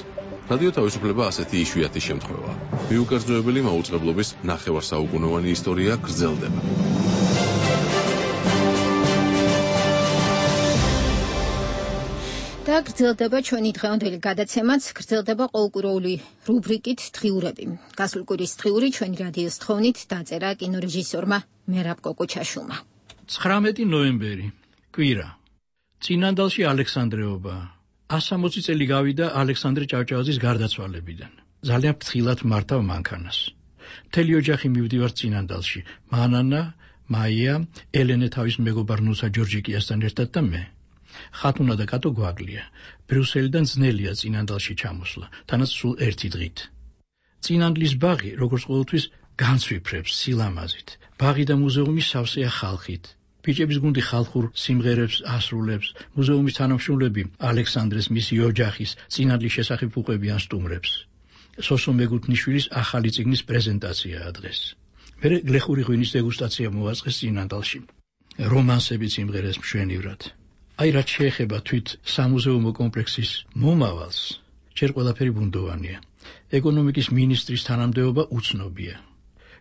რადიო თავისუფლება ასეთი იშვიათი შემთხვევაა. მიუკერძოებელი მაუწყებლობის ნახევარსაუკუნოვანი ისტორია გრძელდება. და გრძელდება ჩვენი დღევანდელი გადაცემაც, გრძელდება ყოველკვირეული რუბრიკით დღიურები. გასულ კვირის დღიური ჩვენი რადიოს თხოვნით დაწერა კინორეჟისორმა მერაბ კოკოჩაშვილმა. ცხრამეტი ნოემბერი, კვირა. წინანდალში ალექსანდრეობა. ასამოცი წელი გავიდა ალექსანდრე ჭავჭავაძის გარდაცვალებიდან. ძალიან ფრთხილად მართავ მანქანას. მთელი ოჯახი მივდივართ წინანდალში. მანანა, მაია, ელენე თავის მეგობარ ნუსა ჯორჯიკიასთან ერთად და მე. ხათუნა და კატო გვაგლია. ბრიუსელიდან ძნელია წინანდალში ჩამოსვლა, თანაც სულ ერთი დღით. წინანდლის ბაღი, როგორც ყოველთვის, განცვიფრებს სილამაზით. ბაღი და მუზეუმი სავსეა ხალხით. ბიჭების გუნდი ხალხურ სიმღერებს ასრულებს, მუზეუმის თანამშრომლები ალექსანდრეს მისი ოჯახის წინანდლის შესახებ უყვებიან სტუმრებს. სოსო მეგუთნიშვილის ახალი წიგნის პრეზენტაციაა დღეს. მერე გლეხური ღვინის დეგუსტაცია მოაწყეს წინანდალში. რომანსები სიმღერებს მშვენივრად. აი რაც შეეხება თვით სამუზეუმო კომპლექსის მომავალს, ჯერ ყველაფერი ბუნდოვანია. ეკონომიკის მინისტრის თანამდებობა უცნობია.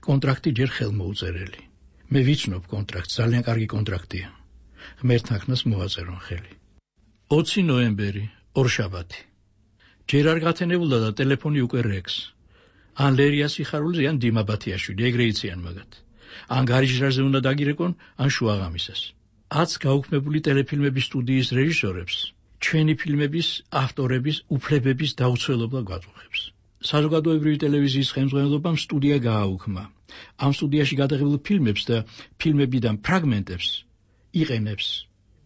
კონტრაქტი ჯერ ხელმოუწერელი. მე ვიცნობ კონტრაქტს, ძალიან კარგი კონტრაქტია. ღმერთთანხმას მოაწერონ ხელი. ოცი ნოემბერი, ორშაბათი. ჯერ არ გათენებულა და ტელეფონი უკვე რეკს. ან ლერია სიხარულიძე, ან დიმა ბათიაშვილი, ეგრე იციან მაგათ. ან გარიჟრაზე უნდა დაგირეკონ, ან შუაღამისას. აც გაუქმებული ტელეფილმების სტუდიის რეჟისორებს ჩვენი ფილმების ავტორების უფლებების დაუცველობა გვაწუხებს. საზოგადოებრივი ტელევიზიის ხელმძღვანელობამ სტუდია გააუქმა. ამ სტუდიაში გადაღებულ ფილმებს და ფილმებიდან ფრაგმენტებს იყენებს.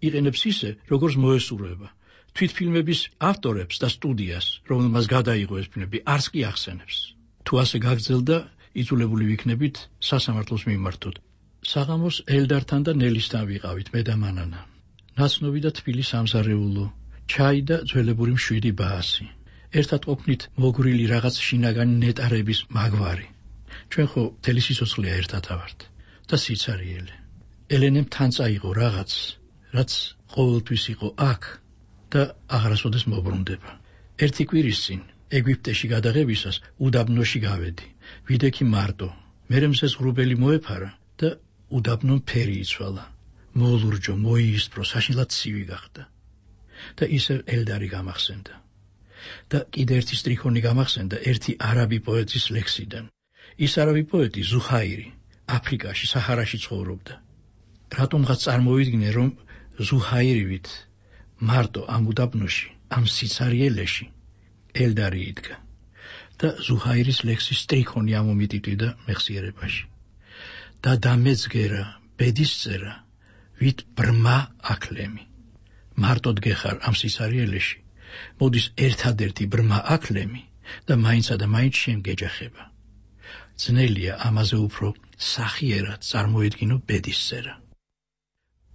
იყენებს ისე, როგორც მოესურვება. თვით ფილმების ავტორებს და სტუდიას, რომელმაც გადაიღო ეს ფილმები, არც კი ახსენებს. თუ ასე გაგრძელდა, იძულებული ვიქნებით სასამართლოს მიმართოთ. საღამოს ელდართან და ნელისთან ვიყავით მე და მანანა. ნაცნობი და თბილი სამზარეულო, ჩაი და ძველებური მშვიდი ბაასი. ერთად ყოფნით მოგვრილი რაღაც შინაგანი ნეტარების მაგვარი. ჩვენ ხო მთელი სიცოცხლე ერთად ავართ და სიცარიელე. ელენემ თან წაიღო რაღაც, რაც ყოველთვის იყო აქ და აღარასოდეს მობრუნდება. ერთი კვირის წინ ეგვიპტეში გადაღებისას უდაბნოში გავედი. ვიდექი მარტო, მერე მზეს ღრუბელი მოეფარა და უდაბნო ფერი იცვალა. მოულურჯო, მოიისპრო, საშინლად ცივი გახდა. და ისევ ელდარი გამახსენდა. და კიდე ერთი სტრიქონი გამახსენდა ერთი არაბი პოეტის ლექსიდან. ის არავი პოეტი ზუჰაირი აფრიკაში საჰარაში ცხოვრობდა. რატომღაც წარმოვიდგინე, რომ ზუჰაირივით მარტო ამ უდაბნოში, ამ სიცარიელეში ელდარი იდგა და ზუჰაირის ლექსის სტრიქონი ამომიტიტვიდა მეხსიერებაში. და დამეძგერა ბედისწერა, ვით ბრმა აკლემი. მარტოდ გეხარ ამ სიცარიელეში, მოდის ერთადერთი ბრმა აკლემი და მაინცა და მაინც შემგეჯახება. ძნელია ამაზე უფრო სახიერად წარმოედგინო ბედისწერა.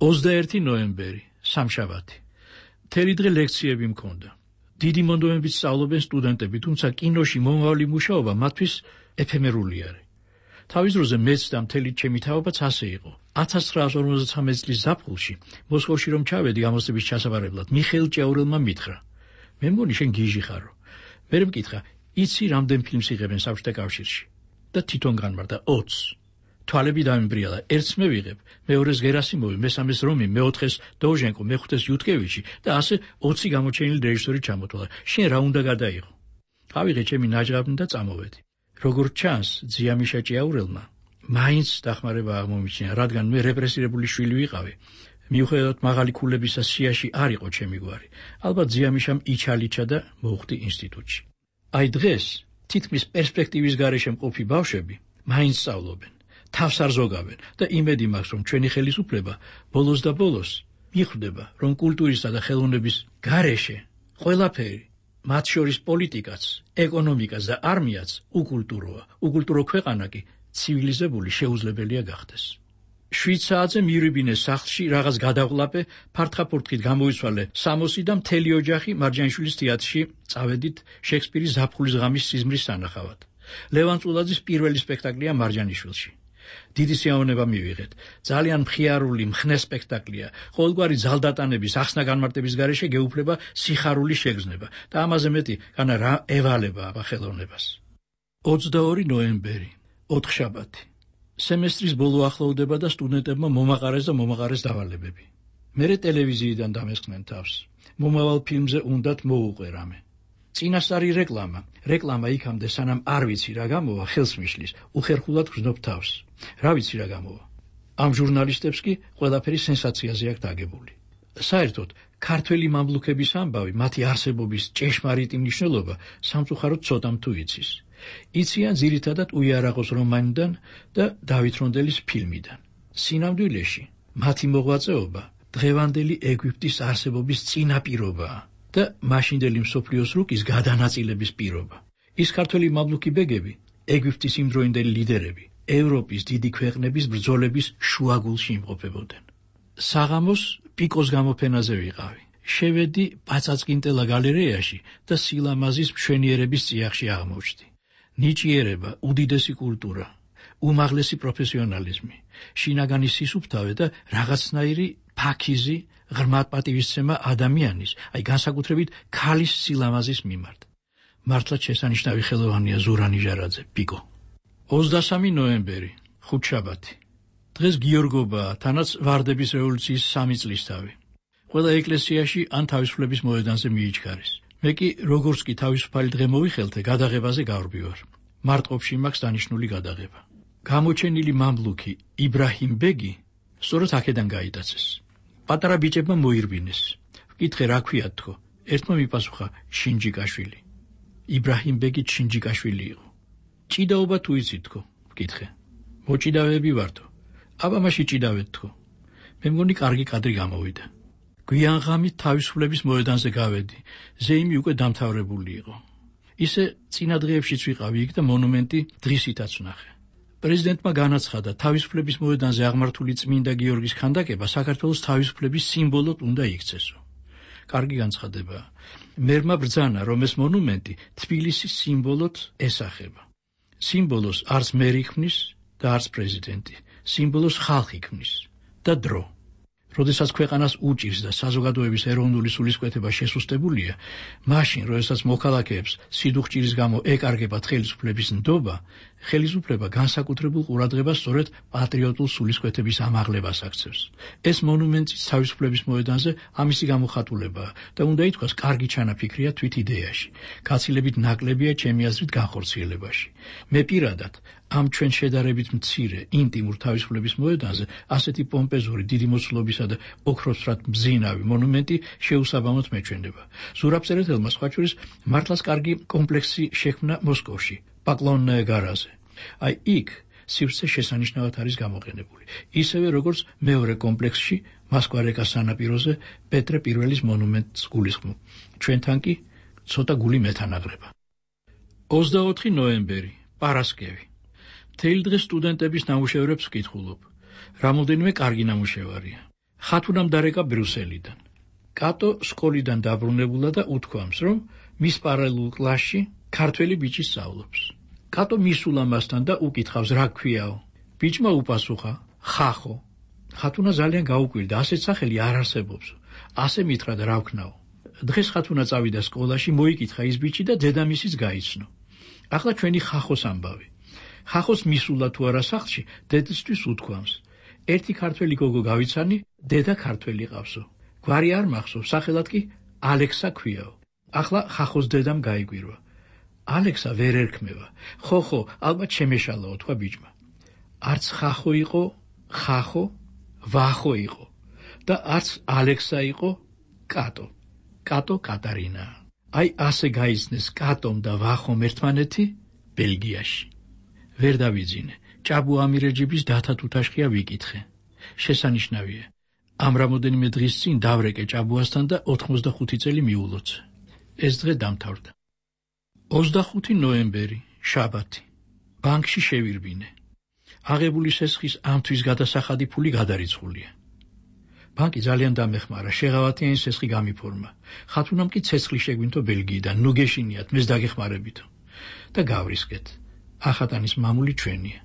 ოცდაერთი ნოემბერი, სამშაბათი. მთელი დღე ლექციები მქონდა. დიდი მონდომებით სწავლობენ სტუდენტები, თუმცა კინოში მომავალი მუშაობა მათთვის ეფემერული არის. თავის დროზე მეც და მთელი ჩემი თაობაც ასე იყო. ათას ცხრაას ორმოცდათვრამეტი წლის ზაფხულში, მოსკოვში რომ ჩავედი გამოცდების ჩასაბარებლად, მიხეილ ჭეურელმა მითხრა: მე მგონი შენ გიჟი ხარო. მერე მკითხა: იცი რამდენ ფილმს იღებენ საბჭოთა კავშირში? და თვითონ განმარტა: ოცს. თვალები დამიმბრიალა, ერთს მე ვიღებ, მეორეს გერასიმოვი, მესამეს რომი, მეოთხეს დოჟენკო, მეხუთეს იუტკევიჩი და ასე ოცი გამოჩენილი რეჟისორი ჩამოთვალა. შენ რა უნდა გადაიღო? ავიღე ჩემი ნაჯღაბნი და წამოვედი. როგორც ჩანს, ძიამიშა ჭიაურელმა მაინც დახმარება აღმომიჩინა, რადგან მე რეპრესირებული შვილი ვიყავი. მიუხედავად მაღალი ქულებისა სიაში არ იყო ჩემი გვარი. ალბათ ძიამიშამ იჩალიჩა და მოუხდი ინსტიტუტში. აი დღეს თითქმის პერსპექტივის გარეშე მყოფი ბავშვები მაინც სწავლობენ, თავს არ ზოგავენ და იმედი მაქვს, რომ ჩვენი ხელისუფლება ბოლოს და ბოლოს მიხვდება, რომ კულტურისა და ხელოვნების გარეშე ყველაფერი, მათ შორის პოლიტიკაც, ეკონომიკაც და არმიაც უკულტუროა. უკულტურო ქვეყანა კი ცივილიზებული შეუძლებელია გახდეს. შვიდ საათზე მივიბინე სახლში რაღაც გადაყლაპე, ფართხაფურთხით გამოიცვალე სამოსი და მთელი ოჯახი მარჯანიშვილის თეატრში წავედით შექსპირის ზაფხულის ღამის სიზმრის სანახავად. ლევან წულაძის პირველი სპექტაკლია მარჯანიშვილში. დიდი სიამოვნება მივიღეთ. ძალიან მხიარული, მხნე სპექტაკლია. ყოველგვარი ძალდატანების, ახსნა განმარტების გარეშე გეუფლება სიხარული შეგრძნება და ამაზე მეტი განა რა ევალება აბა ხელოვნებას. ოცდაორი ნოემბერი, ოთხშაბათი. სემესტრის ბოლო ახლოვდება და სტუდენტებმა მომაყარეს და მომაყარეს დავალებები. მერე ტელევიზიიდან დამესხნენ თავს. მომავალ ფილმზე უნდათ მოუყვე რამე. წინასწარი რეკლამა. რეკლამა იქამდე სანამ არ ვიცი რა გამოვა, ხელს მიშლის, უხერხულად გრძნობ თავს. რა ვიცი რა გამოვა. ამ ჟურნალისტებს კი ყველაფერი სენსაციაზე აქვს დაგებული. საერთოდ, ქართველი მამლუქების ამბავი, მათი არსებობის ჭეშმარიტი მნიშვნელობა სამწუხაროდ ცოტამ თუ იცის. იციან ძირითადად უიარაღოს რომანიდან და დავით რონდელის ფილმიდან. სინამდვილეში, მათი მოღვაწეობა დღევანდელი ეგვიპტის არსებობის წინაპირობაა და მაშინდელი მსოფლიოს რუკის გადანაწილების პირობა. ის ქართველი მამლუქი ბეგები, ეგვიპტის იმდროინდელი ლიდერები, ევროპის დიდი ქვეყნების ბრძოლების შუაგულში იმყოფებოდნენ. საღამოს პიკოს გამოფენაზე ვიყავი. შევედი პაწაწკინტელა გალერეაში და სილამაზის მშვენიერების წიაღში აღმოჩნდი. ნიჭიერება, უდიდესი კულტურა, უმაღლესი პროფესიონალიზმი, შინაგანი სისუფთავე და რაღაცნაირი ფაქიზი, ღრმად პატივისცემა ადამიანის, აი განსაკუთრებით ქალის სილამაზის მიმართ. მართლაც შესანიშნავი ხელოვანია ზურა ნიჟარაძე, პიკო. ოცდასამი ნოემბერი, ხუთშაბათი. დღეს გიორგობაა, თანაც ვარდების რევოლუციის სამი წლისთავი. ყველა ეკლესიაში ან თავისუფლების მოედანზე მიიჩქარეს. მე კი როგორც კი თავისუფალი დღე მოვიხელთე, გადაღებაზე გავრბივარ. მარტყოფში მაქვს დანიშნული გადაღება. გამოჩენილი მამლუქი იბრაჰიმ ბეგი სწორედ აქედან გაიტაცეს. პატარა ბიჭებმა მოირბინეს. ვკითხე რა ქვიათ თქო. ერთმა მიპასუხა შინჯიკაშვილი. იბრაჰიმ ბეგი შინჯიკაშვილი იყო. ჭიდაობა თუ იცით თქო, ვკითხე. მოჭიდავეები ვართო. აბა მაშინ ჭიდავეთ თქო. მე მგონი კარგი კადრი გამოვიდა. გვიან ღამით თავისუფლების მოედანზე გავედი. ზეიმი უკვე დამთავრებული იყო. ისე წინა დღეებშიც ვიყავი იქ და მონუმენტი დღისითაც ვნახე. პრეზიდენტმა განაცხადა, თავისუფლების მოედანზე აღმართული წმინდა გიორგის ქანდაკება საქართველოს თავისუფლების სიმბოლოდ უნდა იქცესო. კარგი განცხადებაა. მერმა ბრძანა, რომ ეს მონუმენტი თბილისის სიმბოლოდ ესახება. სიმბოლოს არც მერი ქმნის და არც პრეზიდენტი. სიმბოლოს ხალხი ქმნის და დრო. როდესაც ქვეყანას უჭირს და საზოგადოების ეროვნული სულისკვეთება შესუსტებულია, მაშინ, როდესაც მოქალაქეებს სიდუხჭირის გამო ეკარგებათ ხელისუფლების ნდობა, ხელისუფლება განსაკუთრებულ ყურადღებას სწორედ პატრიოტულ სულისკვეთების ამაღლებას აქცევს. ეს მონუმენტი თავისუფლების მოედანზე ამისი გამოხატულებაა და უნდა ითქვას, კარგი ჩანაფიქრია თვით იდეაში. გაცილებით ნაკლებია ჩემი აზრით განხორციელებაში. მე პირადად ამ ჩვენ შედარებით მცირე, ინტიმურ თავისუფლების მოედანზე ასეთი პომპეზური, დიდი მოცულობისა და ოქროსფრად მბზინავი მონუმენტი შეუსაბამოდ მეჩვენება. ზურაბწერეთელმა სხვა შორის მართლაც კარგი კომპლექსი შექმნა მოსკოვში, პაკლონნაე გარაზე. აი იქ სივრცე შესანიშნავად არის გამოყენებული. ისევე როგორც მეორე კომპლექსში, მასკვარეკას სანაპიროზე პეტრე პირველის მონუმენტს გულისხმობ. ჩვენთან კი ცოტა გული მეთანაყრება. ოცდაოთხი ნოემბერი, პარასკევი. მთელი დღე სტუდენტების ნამუშევრებს ვკითხულობ. რამოდენიმე კარგი ნამუშევარია. ხათუნამ დარეკა ბრიუსელიდან. კატო სკოლიდან დაბრუნებულა და უთქვამს, რომ მის პარალელურ კლასში ქართველი ბიჭი სწავლობს. კატო მისულა მასთან და უკითხავს, რა ქვიაო. ბიჭმა უპასუხა, ხახო. ხათუნა ძალიან გაუკვირდა, ასეთ სახელი არ არსებობს. ასე მითხრა და რა ვქნაო. დღეს ხათუნა წავიდა სკოლაში, მოიკითხა ის ბიჭი და დედამისიც გაიცნო. ახლა ჩვენი ხახოს ამბავი. ხახოს მისულა თუ არა სახლში, დედისთვის უთქვამს. ერთი ქართველი გოგო გავიცანი, დედა ქართველი ყავსო. გვარი არ მახსოვს, სახელად კი ალექსა ქვიაო. ახლა ხახოს დედამ გაიგვირვა. ალექსა ვერ ერქმევა. ხო, ხო, ალბათ შემეშალაო, თქვა ბიჭმა. არც ხახო იყო, ხახო, ვახო იყო და არც ალექსა იყო, კატო. კატო კატარინა. აი ასე გაიცნეს კატომ და ვახომ ერთმანეთი ბელგიაში. ვერ დავიძინე. ჭაბუ ამირეჯიბის დათა თუთაშხია ვიკითხე. შესანიშნავია. ამ რამოდენიმე დღის წინ დავრეკე ჭაბუასთან და ოთხმოცდახუთი წელი მიულოცა. ეს დღე დამთავრდა. ოცდახუთი ნოემბერი, შაბათი. ბანკში შევირბინე. აღებული სესხის ამთვის გადასახადი ფული გადარიცხულია. ბანკი ძალიან დამეხმარა, შეღავათიანი სესხი გამიფორმა. ხათუნამ კი ცეცხლი შეგვინთო ბელგიიდან, ნუ გეშინიათ, მეს დაგეხმარებითო. და გავრისკეთ. ახატანის მამული ჩვენია.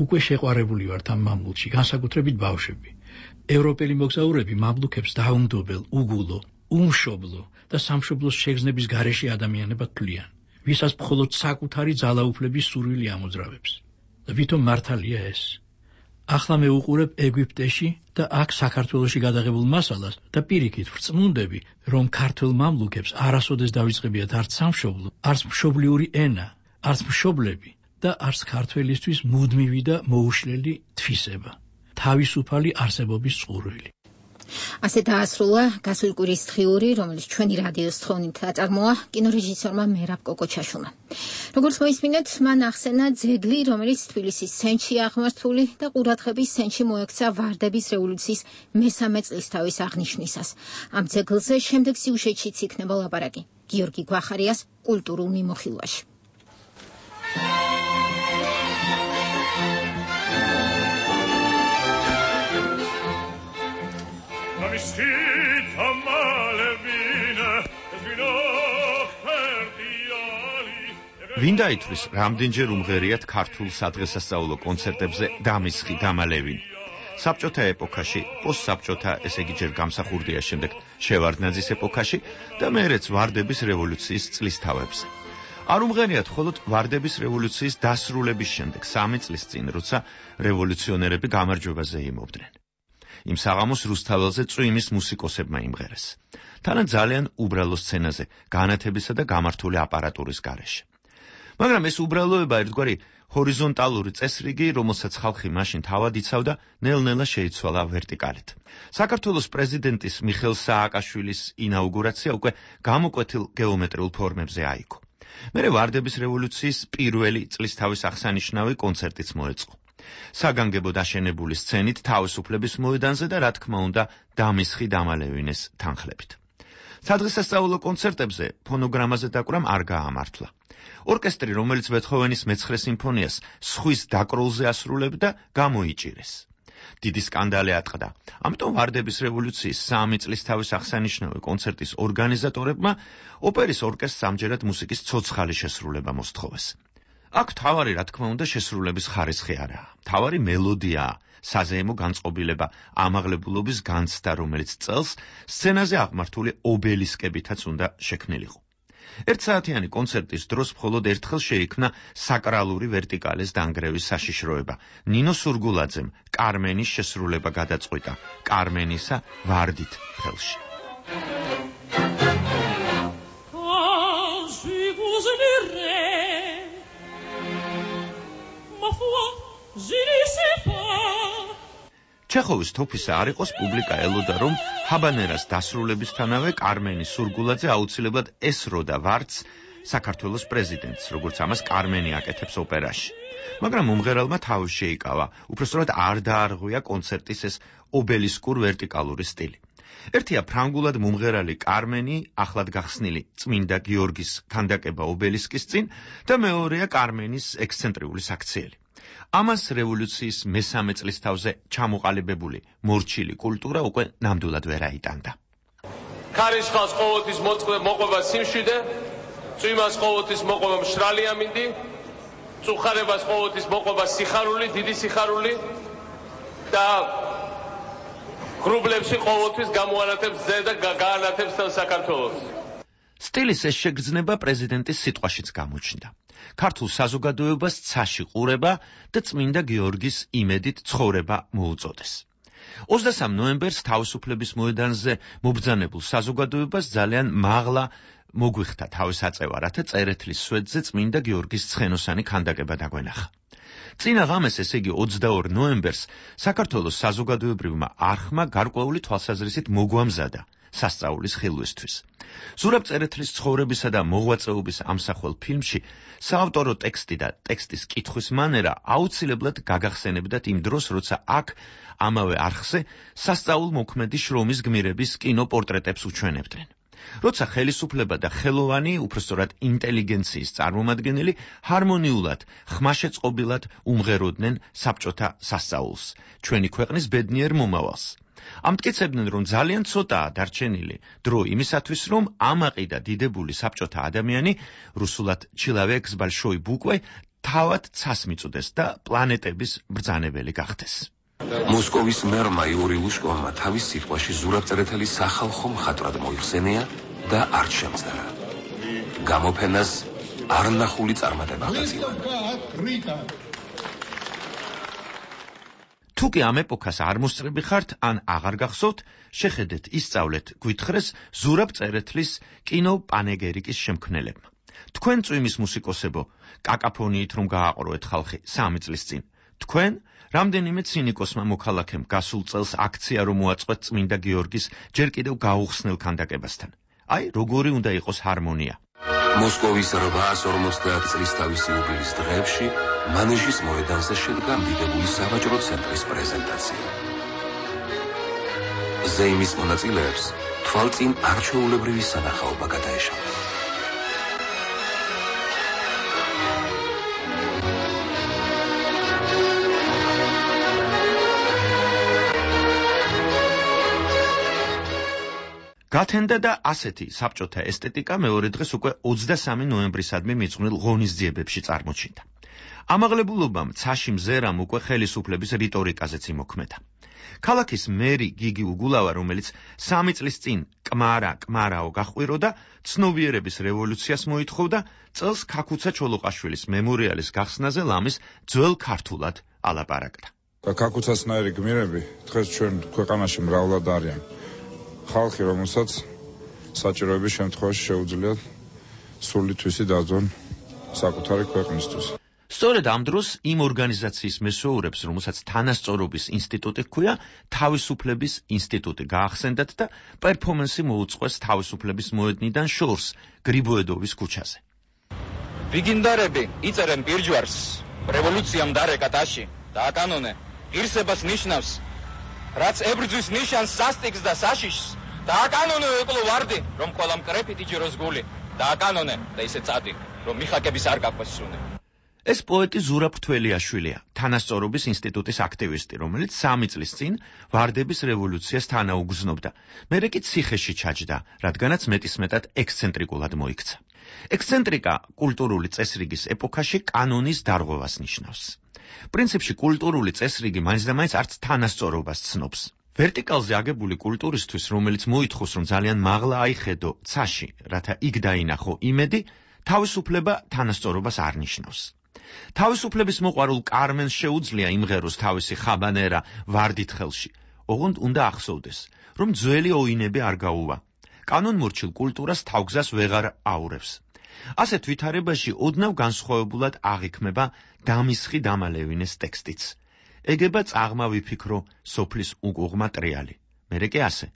უკვე შეყვარებული ვართ ამ მამულში, განსაკუთრებით ბავშვები. ევროპელი მოგზაურები მამლუქებს დაუნდობელ, უგულო, უმშობლო და სამშობლოს შეგრძნების გარეშე ადამიანებად თვლიან, ვისაც მხოლოდ საკუთარი ძალაუფლების სურვილი ამოძრავებს. და ვითომ მართალია ეს. ახლა მე უყურებ ეგვიპტეში და აქ საქართველოში გადაღებულ მასალას და პირიქით ვწმუნდები, რომ ქართველ მამლუქებს არასოდეს დავიწყებიათ არც სამშობლო, არც მშობლიური ენა, არც მშობლები და არც ქართველისთვის მუდმივი და მოუშლელი თვისება, თავისუფალი არსებობის წყურვილი. ასე დაასრულა გასული კვირის დღიური, რომელიც ჩვენი რადიოს თხოვნით აწარმოა კინორეჟისორმა მერაბ კოკოჩაშვილმა. როგორც მოისმინეთ, მან ახსენა ძეგლი, რომელიც თბილისის სენჩი აღმართული და ყურადღების სენჩი მოექცა ვარდების რევოლუციის მესამე წლისთავის აღნიშვნისას. ამ ძეგლზე შემდეგ სიუჟეტშიც იქნება ლაპარაკი. გიორგი გვახარიას კულტურულ მიმოხილვაში. ვინ დაითვლის, რამდენჯერ უმღერიათ ქართულ სადღესასწაულო კონცერტებზე დამისხი დამალევინი. საბჭოთა ეპოქაში, პოსტსაბჭოთა, ესე იგი ჯერ გამსახურდია, შემდეგ შევარდნაძის ეპოქაში და მეერეც ვარდების რევოლუციის წლისთავებზე. არ უმღერიათ მხოლოდ ვარდების რევოლუციის დასრულების შემდეგ, სამი წლის წინ, როცა რევოლუციონერები გამარჯვებაზე იმობდნენ. იმ საღამოს რუსთაველზე წვიმის მუსიკოსებმა იმღერეს. თანაც ძალიან უბრალო სცენაზე, განათებისა და გამართული აპარატურის გარეშე. მაგრამ ეს უბრალოება ერთგვარი ჰორიზონტალური წესრიგი, რომელსაც ხალხი მაშინ თავად იცავდა, ნელ-ნელა შეიცვალა ვერტიკალით. საქართველოს პრეზიდენტის მიხეილ სააკაშვილის ინაუგურაცია უკვე გამოკვეთილ გეომეტრიულ ფორმებზე აიგო. მერე ვარდების რევოლუციის პირველი წლისთავის აღსანიშნავი კონცერტიც მოეწყო. საგანგებო დაშენებული სცენით თავისუფლების მოედანზე და რა თქმა უნდა დამისხი დამალევინეს თანხლებით. სადღესასწაულო კონცერტებზე ფონოგრამაზე დაკვრამ არ გაამართლა. ორკესტრი, რომელიც ბეთჰოვენის მეცხრე სიმფონიას სხვის დაკროლზე ასრულებდა, გამოიჭირეს. დიდი სკანდალი ატყდა. ამიტომ ვარდების რევოლუციის სამი წლისთავის აღსანიშნავი კონცერტის ორგანიზატორებმა ოპერის ორკესტრს ამჯერად მუსიკის ცოცხალი შესრულება მოსთხოვეს. აქ თავარი, რა თქმა უნდა, შესრულების ხარისხი არაა. თავარი მელოდიაა, საზეიმო განწყობილება, ამაღლებულობის განცდა, რომელიც წელს სცენაზე აღმართული ობელისკებითაც უნდა შექმნილიყო. ერთსაათიანი კონცერტის დროს მხოლოდ ერთხელ შეიქმნა საკრალური ვერტიკალის დანგრევის საშიშროება. ნინო სურგულაძემ კარმენის შესრულება გადაწყვიტა კარმენისა ვარდით ხელში. ჩეხოვის თოფისა არ იყოს პუბლიკა ელოდა, რომ ჰაბანერას დასრულებისთანავე კარმენი სურგულაძე აუცილებლად ესროდა ვარდს საქართველოს პრეზიდენტს, როგორც ამას კარმენი აკეთებს ოპერაში. მაგრამ მომღერალმა თავი შეიკავა, უпростоრად არ დაარღვია კონცერტის ეს ობელისკურ ვერტიკალური სტილი. ერთია ფრანგულად მომღერალი კარმენი, ახლად გახსნილი წმინდა გიორგის ქანდაკება ობელისკის წინ და მეორეა კარმენის ექსცენტრიული საქციელი. ამას რევოლუციის მესამე წლისთავზე ჩამოყალიბებული მორჩილი კულტურა უკვე ნამდვილად ვერ აიტანდა. ქარიშხალს ყოველთვის მოყვება სიმშვიდე, წვიმას ყოველთვის მოყვება მშრალი ამინდი, წუხარებას ყოველთვის მოყვება სიხარული, დიდი სიხარული და გრუბლებში ყოველთვის გამოანათებს ზე და გაანათებს თელ საქართველოს. სტილის ეს შეგრძნება პრეზიდენტის სიტყვაშიც გამოჩნდა. ქართულ საზოგადოებას ცაში ყურება და წმინდა გიორგის იმედით ცხოვრება მოუწოდეს. ოცდასამ ნოემბერს თავისუფლების მოედანზე მობრძანებულ საზოგადოებას ძალიან მაღლა მოგვიხდა თავის აწევა, რათა წერეთლის სვეტზე წმინდა გიორგის ცხენოსანი ქანდაკება დაგვენახა. წინა ღამეს, ესე იგი ოცდაორ ნოემბერს, საქართველოს საზოგადოებრივმა არხმა გარკვეული თვალსაზრისით მოგვამზადა სასწაულის ხილვისთვის. ზურაბ წერეთლის ცხოვრებისა და მოღვაწეობის ამსახველ ფილმში საავტორო ტექსტი და ტექსტის კითხვის მანერა აუცილებლად გაგახსენებდათ იმ დროს, როცა აქ ამავე არხზე სასწაულ მოქმედი შრომის გმირების კინოპორტრეტებს უჩვენებდნენ. როცა ხელისუფლება და ხელოვანი, უпростоრად ინტელიგენციის წარმომადგენელი ჰარმონიულად, ხმაშეწყობილად უმღეროდნენ საბჭოთა სასწაულს, ჩვენი ქვეყნის ბედნიერ მომავალს. ამტკიცებდნენ, რომ ძალიან ცოტაა დარჩენილი დრო იმისათვის, რომ ამაყი და დიდებული საბჭოთა ადამიანი, რუსულად ჩილავეკ ზბალშოი ბუკვე, თავად ცას მიწუდეს და პლანეტების ბრძანებელი გახდეს. მოსკოვის მერმა იური ლუშკოვმა თავის სიტყვაში ზურაბწერეთელის სახალხო მხატვრად მოიხსენია და არ შემძლარა. გამოფენას არნახული წარმატება აღწია. თუ კი ამ ეპოქას არ მოსწრები ხართ, ან აღარ გახსოვთ, შეხედეთ, ისწავლეთ, გვითხრეს ზურაბწერეთლის კინოპანეგერიკის შემქმნელებმა. თქვენ წვიმის მუსიკოსებო, კაკაფონიით რომ გააყროეთ ხალხი სამი წლის წინ. თქვენ რამდენიმე ცინიკოსმა მოქალაქემ გასულ წელს აქცია რომ მოაწყვეთ წმინდა გიორგის ჯერ კიდევ გაუხსნელ ქანდაკებასთან. აი, როგორი უნდა იყოს ჰარმონია. მოსკოვის რვაას ორმოცდაათ წლის თავისი იუბილის დღეებში მანეჟის მოედანზე შედგა დიდებული სავაჭრო ცენტრის პრეზენტაცია. ზეიმის მონაწილეებს თვალწინ არჩეულებრივი სანახაობა გადაეშალა. გათენდა და ასეთი საბჭოთა ესთეტიკა მეორე დღეს უკვე ოცდასამი ნოემბრისადმი მიძღვნილ ღონისძიებებში წარმოჩინდა. ამაღლებულობამ ცაში მზერამ უკვე ხელისუფლების რიტორიკაზეც იმოქმედა. ქალაქის მერი გიგი უგულავა, რომელიც სამი წლის წინ კმარა კმარაო გახვიროდა, ცნობიერების რევოლუციას მოითხოვდა, წელს ქაქუცა ჩოლოყაშვილის მემორიალის გახსნაზე ლამის ძველ ქართულად ალაპარაკდა. ქაქუცასნაირი გმირები დღეს ჩვენ ქვეყანაში მრავლად არიან. ხალხი, რომელსაც საჭიროების შემთხვევაში შეუძლიათ სული თვისი დაძონ საკუთარი ქვეყნისთვის. სწორედ ამ დროს იმ ორგანიზაციის მესვეურებს, რომელსაც თანასწორობის ინსტიტუტი ჰქვია, თავისუფლების ინსტიტუტი გაახსენდათ და პერფორმანსი მოუწყვეს თავისუფლების მოედნიდან შორს გრიბოედოვის ქუჩაზე. ვიგინდარები იწერენ პირჯვარს, რევოლუციამ დარეკა ტაში და აკანონე ღირსებას ნიშნავს, რაც ებრძვის ნიშანს სასტიკს და საშიშს, და აკანონე ეკლო ვარდი, რომ ყველა მკრეფით იჯეროს გული, და აკანონე და ისე წადი, რომ მიხაკების არ გაყვეს სუნე. ეს პოეტი ზურაბ თველიაშვილია, თანასწორობის ინსტიტუტის აქტივისტი, რომელიც სამი წლის წინ ვარდების რევოლუციას თანაუგრძნობდა. მერე კი ციხეში ჩაჯდა, რადგანაც მეტისმეტად ექსცენტრიკულად მოიქცა. ექსცენტრიკა კულტურული წესრიგის ეპოქაში კანონის დარღვევას ნიშნავს. პრინციპში კულტურული წესრიგი მაინც და მაინც არც თანასწორობას ცნობს. ვერტიკალზე აგებული კულტურისთვის, რომელიც მოითხოვს, რომ ძალიან მაღლა აიხედო ცაში, რათა იქ დაინახო იმედი, თავისუფლება თანასწორობას არ ნიშნავს. თავისუფლების მოყვარულ კარმენს შეუძლია იმღეროს თავისი ხაბანერა ვარდით ხელში. ოღონდ უნდა ახსოვდეს, რომ ძველი ოინები არ გაუვა. კანონმორჩილ კულტურას თავგზას ვეღარ აურევს. ასეთ ვითარებაში ოდნავ განსხვავებულად აღიქმება დამისხი დამალევინეს ტექსტიც. ეგება წაღმა ვიფიქრო სოფლის უკუღმა ტრიალი. მერე კი ასე,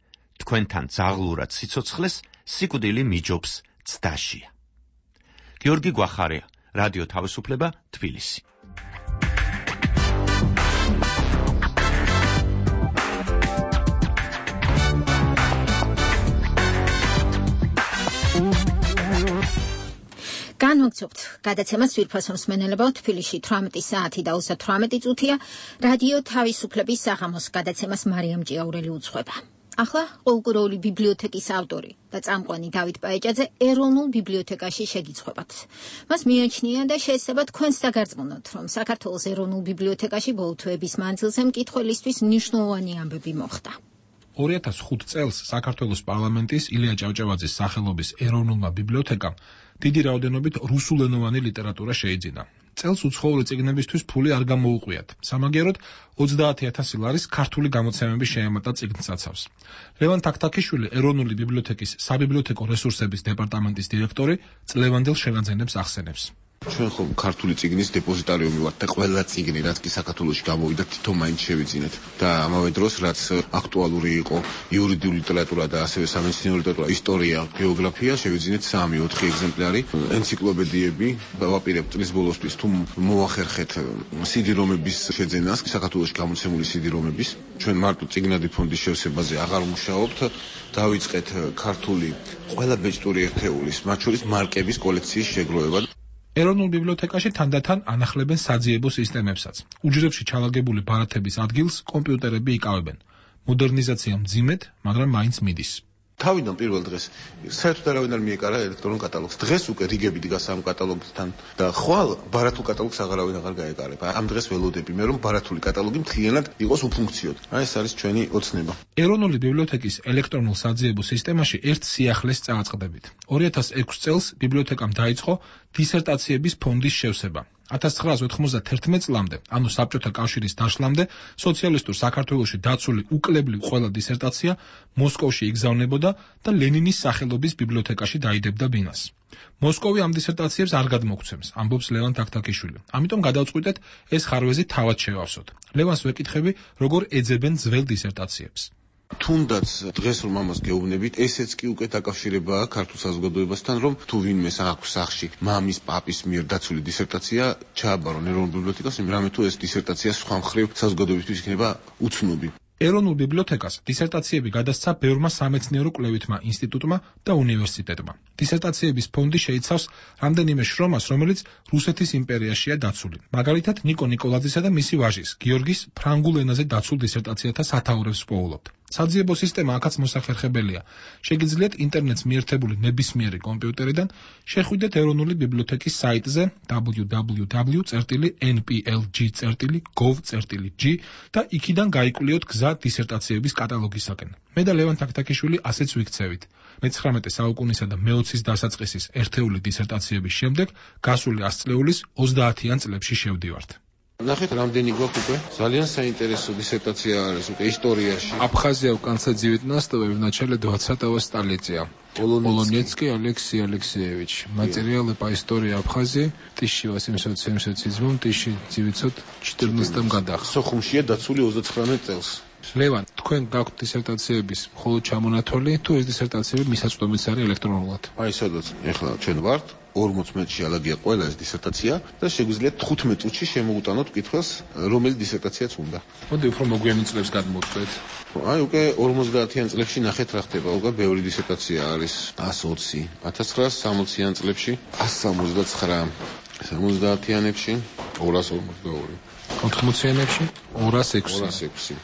თქვენთან ძაღლურად სიცოცხლეს სიკვდილი მიჯობს ცდაშია. გიორგი გვახარია, რადიო თავისუფლება, თბილისი. განვაგრძობთ გადაცემას ვირფასო მსმენელებო, თბილისში თვრამეტი საათი და ოცდათვრამეტი წუთია. რადიო თავისუფლების საღამოს გადაცემას მარიამ ჭიაურელი უძღვება. ახლა ყოლკუროული ბიბლიოთეკის ავტორი და წამყვანი დავით პაეჭაძე ეროვნულ ბიბლიოთეკაში შეგიცხვებათ. მას მიაჩნია და შეესაბათ თქვენს დაგარწმუნოთ, რომ საქართველოს ეროვნულ ბიბლიოთეკაში ბოლო თვეების მანძილზე მკითხველისთვის მნიშვნელოვანი ამბები მოხდა. ორი ათას ხუთი წელს საქართველოს პარლამენტის ილია ჭავჭავაძის სახელობის ეროვნულმა ბიბლიოთეკამ დიდი რაოდენობით რუსულენოვანი ლიტერატურა შეიძინა. წელს უცხოური წიგნებისთვის ფული არ გამოუყიათ. სამაგიეროდ ოცდაათი ათასი ლარის ქართული გამოცემები შეემატა წიგნსაცავს. ლევან თაქთაქიშვილი ეროვნული ბიბლიოთეკის საბიბლიოთეკო რესურსების დეპარტამენტის დირექტორი წლევანდელ შევანძენებს ახსენებს. ჩვენ ხომ ქართული წიგნის დეპოზიტარიუმი ვართ და ყველა წიგნი რაც კი საქართველოში გამოვიდა თითო მაინც შევიძინეთ და ამავე დროს რაც აქტუალური იყო იურიდიული ლიტერატურა და ასევე სამეცნიერო ლიტერატურა, ისტორია, გეოგრაფია შევიძინეთ სამი ოთხი ეგზემპლარი, ენციკლოპედიები დავაპირებ წლის ბოლოსთვის თუ მოახერხეთ სიდი-რომების შეძენას, საქართველოში გამოცემული სიდი-რომების. ჩვენ მარტო წიგნადი ფონდის შევსებაზე აღარ ვმუშაობთ, დავიწყეთ ქართული ყველა ბეჭდური ერთეულის, მათ შორის მარკების კოლექციის შეგროვება. ეროვნულ ბიბლიოთეკაში თანდათან ანახლებენ საძიებო სისტემებსაც. უჯრედში ჩალაგებული ბარათების ადგილს კომპიუტერები იკავებენ. მოდერნიზაცია მძიმედ, მაგრამ მაინც მიდის. თავიდან პირველ დღეს საერთოდ არავინ არ მიეკარა ელექტრონულ კატალოგს. დღეს უკვე რიგები დგას ამ კატალოგთან და ხვალ ბარათულ კატალოგს აღარავინ აღარ გაეკარება. ამ დღეს ველოდები მე რომ ბარათული კატალოგი მთლიანად იყოს უფუნქციოდ. აი ეს არის ჩვენი ოცნება. ეროვნული ბიბლიოთეკის ელექტრონულ საძიებო სისტემაში ერთ სიახლეს წააწყდებით. ორი ათას ექვსი წელს ბიბლიოთეკამ დაიწყო დისერტაციების ფონდის შევსება. ათას ცხრაას ოთხმოცდათერთმეტ წლამდე, ანუ საბჭოთა კავშირის დაშლამდე, სოციალისტურ საქართველოში დაცული უკლებლივ ყველა დისერტაცია მოსკოვში იგზავნებოდა და ლენინის სახელობის ბიბლიოთეკაში დაიდებდა ბინას. მოსკოვი ამ დისერტაციებს არ გადმოგცემს, ამბობს ლევან თაქთაქიშვილი. ამიტომ გადავწყვიტეთ ეს ხარვეზი თავად შევავსოთ. ლევანს ვეკითხები, როგორ ეძებენ ძველ დისერტაციებს. თუნდაც დღეს რომ ამას გეუბნებით, ესეც კი უკვე დაკავშირებაა ქართულ საზოგადოებასთან, რომ თუ ვინმე აქვს სახში მამის, პაპის მიერ დაცული დისერტაცია, ჩააბარონ ეროვნულ ბიბლიოთეკას, რამე თუ ეს დისერტაცია სხვა მხრივ საზოგადოებისთვის იქნება უცნობი. ეროვნულ ბიბლიოთეკას დისერტაციები გადასცა ბევრმა სამეცნიერო კვლევითმა ინსტიტუტმა და უნივერსიტეტმა. დისერტაციების ფონდი შეიცავს რამდენიმე შრომას, რომელიც რუსეთის იმპერიაშია დაცული. მაგალითად, ნიკო ნიკოლაძისა და მისი ვაჟის, გიორგის ფრანგულ ენაზე დაცულ დისერტაციათა სათაურებს ვპოულობთ. საძიებო სისტემა აქაც მოსახერხებელია. შეგიძლიათ ინტერნეტს მიერთებული ნებისმიერი კომპიუტერიდან შეხვიდეთ ეროვნული ბიბლიოთეკის საიტზე დაბლიუ დაბლიუ დაბლიუ წერტილი ენ პი ელ ჯი წერტილი გოვ წერტილი ჯი და იქიდან გაიკლიოთ გზა დისერტაციების კატალოგისაკენ. მე და ლევან თაქთაქიშვილი ასეც ვიქცევით. მეცხრამეტე საუკუნისა და მეოცის დასაწყისის ერთეული დისერტაციების შემდეგ გასული ას წლეულის ოცდაათიან წლებში შევდივართ. ნახეთ, რამდენი გვაქვს უკვე? ძალიან საინტერესო дисертация არის უკვე ისტორიაში. Абхазия в конце девятнадцатого и в начале двадцатого столетия. Полонецкий Алексей Алексеевич. Материалы по истории Абхазии в тысяча восемьсот семьдесят седьмом — тысяча девятьсот четырнадцатом годах. სოხუმშია დაცული ოცდათხრამეტ წელს. ლევან, თქვენ გაქვთ დისერტაციების მხოლოდ ჩამონათვალი, თუ ეს დისერტაციები მისაწვდომიც არის ელექტრონულად? აი, სადაც ეხლა ჩვენ ვართ, ორმოც მეტრში ალაგია ყველა ეს დისერტაცია და შეგვიძლია თხუთმეტ წუთში შემოუტანოთ კითხვას, რომელი დისერტაციაც უნდა. მოდი უფრო მოგვიანო წლებს გადმოვწვეთ. აი, უკვე ორმოცდაათიან წლებში ნახეთ რა ხდება, უკვე ბევრი დისერტაცია არის. ას ოცი, ათას ცხრაას სამოციან წლებში, ას სამოცდაცხრა, სამოცდაათიანებში, ორას ორმოცდაორი. ოთხმოციანებში, ორას ექვსი. ორას ექვსი.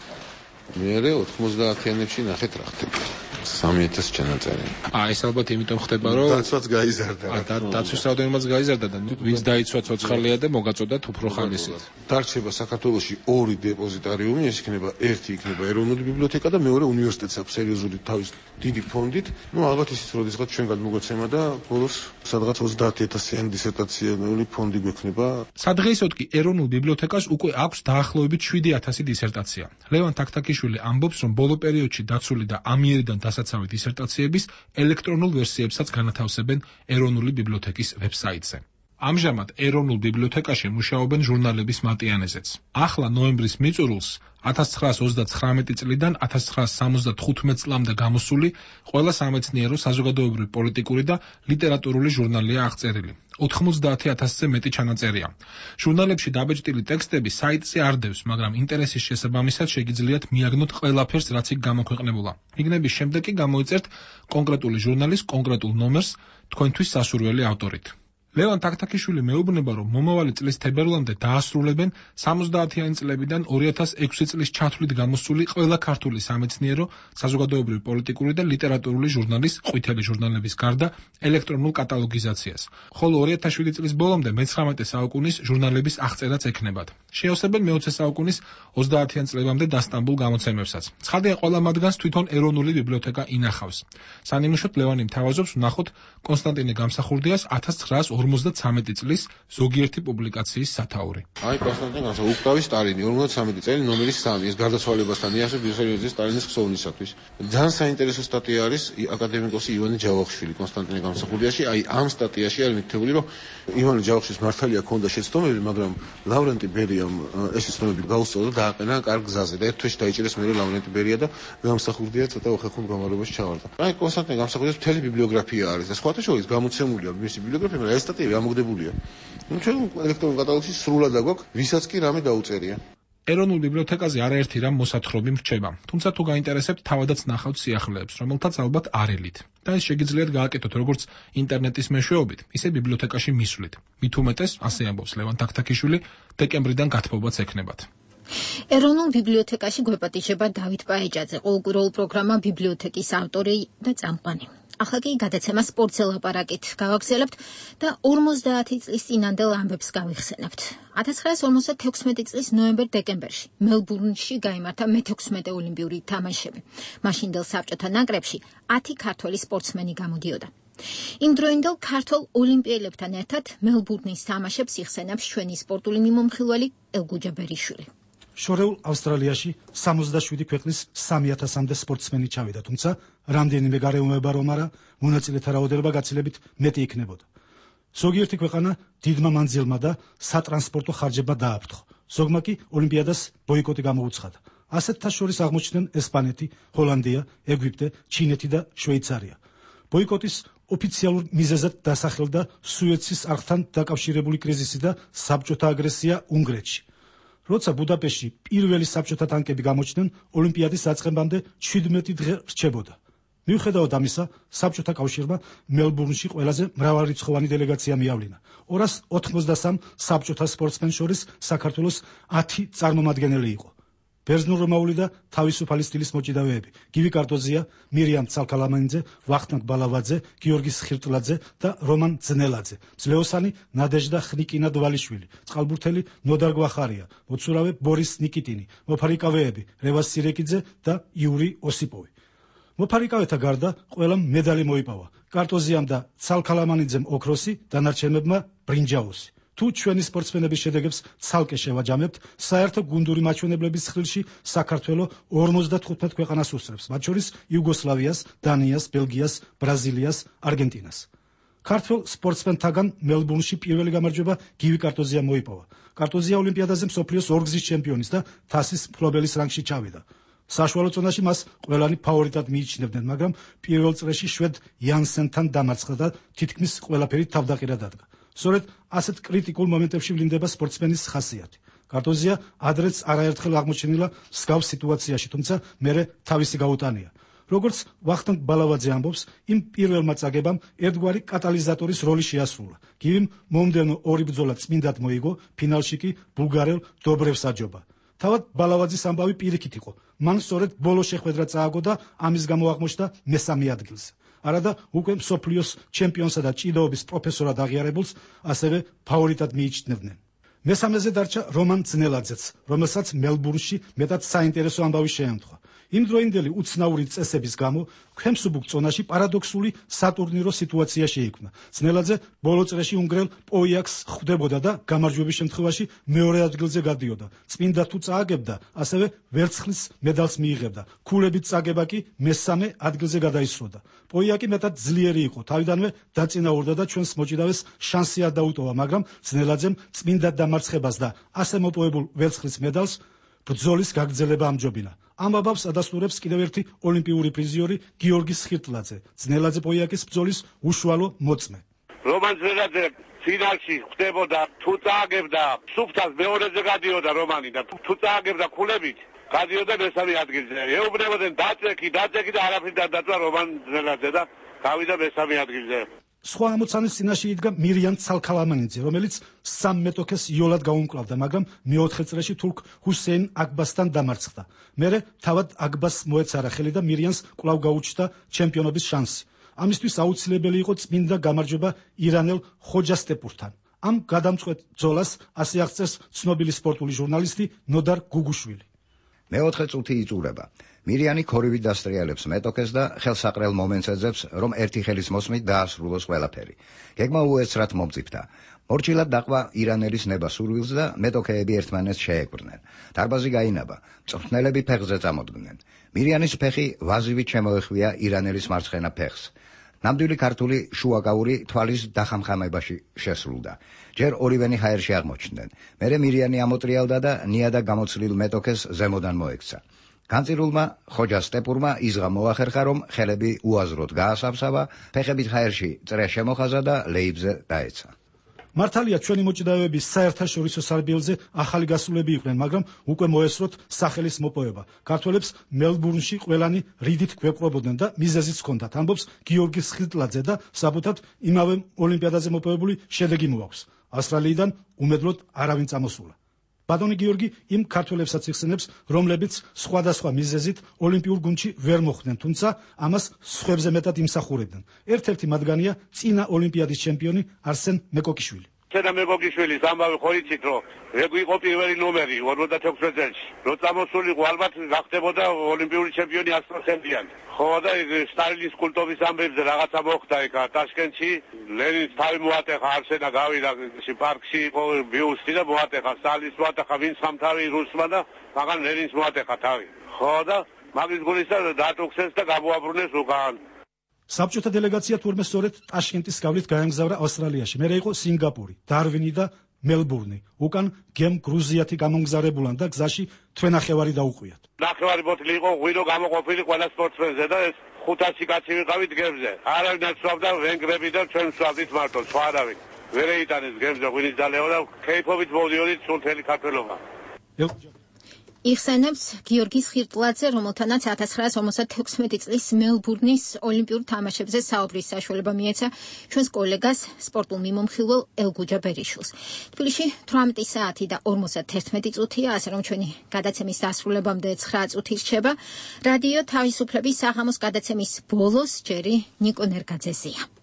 მერე ოთხმოცდაათიანებში ნახეთ რა ხდება. სამი ათასი ჩანაწერი. აა ეს ალბათ იმიტომ ხდება, რომ დაცვაც გაიზარდა. და დაცვის რაოდენობაც გაიზარდა და ვინც დაიცვა ცოცხალია და მოგაწოდათ უფრო ხალისით. დარჩება საქართველოში ორი დეპოზიტარიუმი, ეს იქნება ერთი იქნება ეროვნული ბიბლიოთეკა და მეორე უნივერსიტეტს აქვს სერიოზული თავის დიდი ფონდით. ნუ ალბათ ისიც როდესაც ჩვენ გადმოგვეცემა და ბოლოს სადღაც ოცდაათი ათასიანი დისერტაციული ფონდი გვექნება. სადღეისოდ კი ეროვნულ ბიბლიოთეკას უკვე აქვს დაახლოებით შვიდი ათასი დისერტაცია. ლევან თაქთაქიშვილი ამბობს, რომ ბოლო პერიოდში დაცული და ამიერიდან დასაცავი დისერტაციების ელექტრონულ ვერსიებსაც განათავსებენ ეროვნული ბიბლიოთეკის ვებსაიტზე. ამჟამად ეროვნულ ბიბლიოთეკაში მუშაობენ ჟურნალების მატიანეზეც. ახლა ნოემბრის მიწურულს ათას ცხრაას ოცდაცხრამეტი წლიდან ათას ცხრაას სამოცდათხუთმეტ წლამდე გამოსული ყველა სამეცნიერო, საზოგადოებრივი, პოლიტიკური და ლიტერატურული ჟურნალია აღწერილი. ოთხმოცდაათი ათასზე მეტი ჩანაწერია. ჟურნალებში დაბეჭდილი ტექსტები საიტზე არ დევს, მაგრამ ინტერესის შესაბამისად შეგიძლიათ მიაგნოთ ყველაფერს, რაც იქ გამოქვეყნებულა. მიგნების შემდეგ კი გამოიწერთ კონკრეტული ჟურნალის კონკრეტულ ნომერს თქვენთვის სასურველი ავტორით. ლევან თაქთაქიშვილი მეუბნება, რომ მომავალი წლის თებერვლამდე დაასრულებენ სამოცდაათიანი წლებიდან ორი ათას ექვსი წლის ჩათვლით გამოსული ყველა ქართული სამეცნიერო, საზოგადოებრივი, პოლიტიკური და ლიტერატურული ჟურნალის ყვითელი ჟურნალების გარდა ელექტრონულ კატალოგიზაციას. ხოლო ორი ათას შვიდი წლის ბოლომდე მეცხრამეტე საუკუნის ჟურნალების აღწერაც ექნებათ. შეავსებენ მეოცე საუკუნის ოცდაათიან წლებამდე დასტამბულ გამოცემებსაც. ცხადია, ყველა მათგანს თვითონ ეროვნული ბიბლიოთეკა ინახავს. სანიმუშოდ ლევანი მთავაზობს ვნახოთ კონსტანტინე გამსახურდიას ათას ცხრაას ორმოცდათვრამეტი წლის ზოგიერთი პუბლიკაციის სათაური. აი კონსტანტინ განსა უკრავი სტალინი ორმოცდათვრამეტი წელი ნომერი სამი ეს გარდაცვალებასთან იასებ ვისელიოძის სტალინის ხსოვნისათვის. ძალიან საინტერესო სტატია არის აკადემიკოსი ივანე ჯავახიშვილი კონსტანტინე გამსახურდიაში. აი ამ სტატიაში არის მითითებული რომ ივანე ჯავახიშვილის მართალია ქონდა შეცდომები, მაგრამ ლავრენტი ბერიამ ეს შეცდომები გაუსწორდა და დააყენა კარგ გზაზე და ერთ თვეში დაიჭირეს მე ლავრენტი ბერია და გამსახურდია ცოტა უხეხუნ გამარებაში ჩავარდა. აი კონსტანტინე გამსახურდიას მთელი ბიბლიოგრაფია არის და სხვათა შორის გამოცემულია მისი ბიბლიოგრაფია, მაგრამ ეს სტატიები ამოგდებულია. ნუ ჩვენ ელექტრონულ კატალოგში სრულად აგვაქვს, ვისაც კი რამე დაუწერია. ეროვნულ ბიბლიოთეკაზე არაერთი რამ მოსათხრობი მრჩება, თუმცა თუ გაინტერესებთ, თავადაც ნახავთ სიახლეებს, რომელთაც ალბათ არ ელით. და ეს შეგიძლიათ გააკეთოთ როგორც ინტერნეტის მეშვეობით, ისე ბიბლიოთეკაში მისვლით. მით უმეტეს, ასე ამბობს ლევან თაქთაქიშვილი, დეკემბრიდან გათბობაც ექნებათ. ეროვნულ ბიბლიოთეკაში გვეპატიჟება დავით პაეჭაძე, ყოველკვირეულ პროგრამა ბიბლიოთეკის ავტორი და წამყვანი. ახლა კი გადაცემა სპორტზე ლაპარაკით გავაგრძელებთ და ორმოცდაათი წლის წინანდელ ამბებს გავიხსენებთ. ათას ცხრაას ორმოცდათექვსმეტი წლის ნოემბერ-დეკემბერში მელბურნში გაიმართა მეთექვსმეტე ოლიმპიური თამაშები. მაშინდელ საბჭოთა ნაკრებში ათი ქართველი სპორტსმენი გამოდიოდა. იმდროინდელ ქართველ ოლიმპიელებთან ერთად მელბურნის თამაშებს იხსენებს ჩვენი სპორტული მიმომხილველი ელგუჯა ბერიშვილი. შორეულ ავსტრალიაში სამოცდაშვიდი ქვეყნის სამი ათასამდე სპორტსმენი ჩავიდა, თუმცა რამდენიმე გარეუბნება რომ არა, მონაწილეთა რაოდენობა გაცილებით მეტი იქნებოდა. ზოგიერთი ქვეყანა დიდმა მანძილმა და სატრანსპორტო ხარჯებმა დააფრთხო. ზოგმა კი ოლიმპიადას ბოიკოტი გამოუცხადა. ასეთთა შორის აღმოჩნდნენ ესპანეთი, ჰოლანდია, ეგვიპტე, ჩინეთი და შვეიცარია. ბოიკოტის ოფიციალურ მიზეზად დასახელდა სუეცის არხთან დაკავშირებული კრიზისი და საბჭოთა აგრესია უნგრეთში. როცა ბუდაპეშტში პირველი საბჭოთა ტანკები გამოჩნდნენ, ოლიმპიადის დაწყებამდე შვიდმეტი დღე რჩებოდა. მიუხედავად ამისა, საბჭოთა კავშირმა მელბურნში ყველაზე მრავალრიცხოვანი დელეგაცია მიავლინა. ორას ოთხმოცდასამ საბჭოთა სპორტსმენს შორის საქართველოს ათი წარმომადგენელი იყო. ბერძნულ-რომაული და თავისუფალი სტილის მოჭიდავეები: გივი კარტოზია, მირიამ ცალქალამანიძე, ვახტანგ ბალავაძე, გიორგი სხირტლაძე და რომან ძნელაძე, ძლეოსანი ნადეჟდა ხნიკინა დვალიშვილი, წყალბურთელი ნოდარ გვახარია, მოცურავე ბორის ნიკიტინი, მოფარიკავეები რევას სირეკიძე და იური ოსიპოვი. მოფარიკავეთა გარდა ყველამ მედალი მოიპოვა. კარტოზიამ და ცალქალამანიძემ ოქროსი, დანარჩენებმა ბრინჯაოსი. თუ ჩვენი სპორტსმენების შედეგებს ცალკე შევაჯამებთ, საერთო გუნდური მაჩვენებლების ხილში საქართველო ორმოცდათხუთმეტ ქვეყანას უსწრებს, მათ შორის იუგოსლავიას, დანიას, ბელგიას, ბრაზილიას, არგენტინას. ქართველ სპორტსმენთაგან მელბურნში პირველი გამარჯვება გივი კარტოზიამ მოიპოვა. კარტოზია ოლიმპიადაზე მსოფლიოს ორგზის ჩემპიონის და თასის მფლობელის რანგში ჩავიდა. საშუალო წონაში მას ყველანი ფავორიტად მიიჩნევდნენ, მაგრამ პირველ წრეში შვედ იანსენთან დამარცხდა და თითქმის ყველაფერი თავდაყირა დადგა. სწორედ ასეთ კრიტიკულ მომენტებში ვლინდება სპორტსმენის ხასიათი. კარტოზია ადრეც არაერთხელ აღმოჩენილა მსგავს სიტუაციაში, თუმცა მერე თავისი გაუტანია. როგორც ვახტანგ ბალავაძე ამბობს, იმ პირველმა წაგებამ ერთგვარი კატალიზატორის როლი შეასრულა. გივიმ მომდევნო ორი ბრძოლა წმინდად მოიგო, ფინალში კი ბულგარელ დობრევს აჯობა. თავად ბალავაძის ამბავი პირიქით იყო. მან სწორედ ბოლო შეხვედრა წააგო და ამის გამო აღმოჩნდა მესამე ადგილზე. არადა უკვე მსოფლიოს ჩემპიონსა და ჭიდაობის პროფესორად აღიარებულს ასევე ფავორიტად მიიჩნევდნენ. მესამეზე დარჩა რომან ძნელაძეც, რომელსაც მელბურნში მეტად საინტერესო ამბავი შეემთხვა. იმდროინდელი უცნაური წესების გამო ქვემსუბუქ წონაში პარადოქსული სატურნირო სიტუაცია შეიქმნა. ძნელაძე ბოლო წრეში უნგრელ პოიაკს ხვდებოდა და გამარჯვების შემთხვევაში მეორე ადგილზე გადიოდა. წმინდა თუ წააგებდა, ასევე ვერცხლის მედალს მიიღებდა. ქულებით წაგება კი მესამე ადგილზე გადაისროდა. პოიაკი მეტად ძლიერი იყო, თავიდანვე დაწინაურდა და ჩვენს მოჭიდავეს შანსი არ დაუტოვა, მაგრამ ძნელაძემ წმინდად დამარცხებას და ასე მოპოვებულ ვერცხლის მედალს ბრძოლის გაგრძელება ამჯობინა. ამ ამბავს ადასტურებს კიდევ ერთი ოლიმპიური პრიზიორი გიორგი სხირტლაძე, ძნელაძე პოიაკის ბრძოლის უშუალო მოწმე. რომან ძნელაძე ფინალში ხდებოდა, თუ წააგებდა სუფთას მეორეზე გადიოდა რომანი და თუ წააგებდა ქულებით გადიოდა მესამე ადგილზე. ეუბნებოდნენ დაწექი, დაწექი და არაფრით არ დაწვა რომან ძნელაძე და გავიდა მესამე ადგილზე. სხვა ამოცანის წინაშე იდგა მირიამ ცალქალამანიძე, რომელიც სამ მეტოქეს იოლად გაუმკლავდა, მაგრამ მეოთხე წრეში თურქ ჰუსეინ აკბასთან დამარცხდა. მერე თავად აკბას მოეცარა ხელი და მირიანს კვლავ გაუჩნდა ჩემპიონობის შანსი. ამისთვის აუცილებელი იყო წმინდა გამარჯვება ირანელ ხოჯასტეპურთან. ამ გადამწყვეტ ბრძოლას ასე აღწერს ცნობილი სპორტული ჟურნალისტი ნოდარ გუგუშვილი. მეოთხე წუთი იწურება. მირიანი ქორივით დასტრიალებს მეტოქეს და ხელსაყრელ მომენტს ეძებს, რომ ერთი ხელის მოსმით დაასრულოს ყველაფერი. გეგმა უეცრად მომწიფდა. მორჩილად დაყვა ირანელის ნება სურვილს და მეტოქეები ერთმანეთს შეეკვრნენ. დარბაზი გაინაბა, მწვრთნელები ფეხზე წამოდგნენ. მირიანის ფეხი ვაზივით შემოეხვია ირანელის მარცხენა ფეხს. ნამდვილი ქართული შუაკაური თვალის დახამხამებაში შესრულდა. ჯერ ორივენი ჰაერში აღმოჩნდნენ. მერე მირიანი ამოტრიალდა და ნიადაგ გამოცლილ მეტოქეს ზემოდან მოექცა. განწირულმა ხოჯა სტეპურმა იზღა მოახერხა, რომ ხელები უაზროდ გაასავსავა, ფეხებით ჰაერში წრე შემოხაზა და ლეიბზე დაეცა. მართალია ჩვენი მოჭიდავეების საერთაშორისო სარბიელზე ახალი გასულები იყვნენ, მაგრამ უკვე მოესწროთ სახელის მოპოვება. ქართველებს მელბურნში ყველანი რიდით გვეპყრობოდნენ და მიზეზიც ჰქონდათ. ამბობს გიორგი სხილტლაძე და საბუთად იმავე ოლიმპიადაზე მოპოვებული შედეგი მოაქვს. ავსტრალიიდან უმედლოდ არავინ წამოსულა. ბატონი გიორგი იმ ქართველებსაც იხსენებს, რომლებიც სხვადასხვა მიზეზით ოლიმპიურ გუნდში ვერ მოხვდნენ, თუმცა ამას სხვებზე მეტად იმსახურებდნენ. ერთ-ერთი მათგანია წინა ოლიმპიადის ჩემპიონი არსენ მეკოკიშვილი. შედა მეკოკიშვილის ამბავი ხო იცით, რომ ეგ იყო პირველი ნომერი ორმოცდათექვსმეტ წელს. რო წამოსულიყო ალბათ გახდებოდა ოლიმპიური ჩემპიონი ასტროხემდიანი. ხო და სტალინის კულტობის ამბებზე რაღაცა მოხდა იქ ტაშკენტში, ლენინს თავი მოატეხა, არსენა გავიდა პარკში იყო ბიუსტი და მოატეხა, სტალინს მოატეხა, ვინც სამთავი რუსმა და მაგან ლენინს მოატეხა თავი. ხო და მაგის გულისა დატუქსეს და გამოაბრუნეს უკან. საბჭოთა დელეგაცია თურმე სწორედ ტაშკენტის გავლით გაემგზავრა ავსტრალიაში. მერე იყო სინგაპური, დარვინი და მელბურნი. უკან გემ გრუზიათი გამომგზავრებულან და გზაში თვენახევარი დაუყვიათ. ნახევარი ბოთლი იყო ღვინო გამოყოფილი ყველა სპორტსმენზე და ეს ხუთასი კაცი ვიყავით გემზე. არავინ არ სვავდა ვენგრები და ჩვენ სვავდით მარტო, სხვა არავინ. ვერ ეიტანეს გემზე ღვინის დალევა და ქეიფობით მოვდიოდით სულ ქართველობა. იხსენებს გიორგი სხილტლაძე, რომელთანაც ათას ცხრაას ორმოცდათექვსმეტი წლის მელბურნის ოლიმპიურ თამაშებზე საუბრის საშუალება მიეცა ჩვენს კოლეგას სპორტულ მიმომხილველ ელგუჯა ბერიშვილს. თბილისში თვრამეტი საათი და ორმოცდათერთმეტი წუთია, ასე რომ ჩვენი გადაცემის დასრულებამდე ცხრა წუთი რჩება. რადიო თავისუფლების საღამოს გადაცემის ბოლოს ჯერი ნიკო ნერგაძეზია.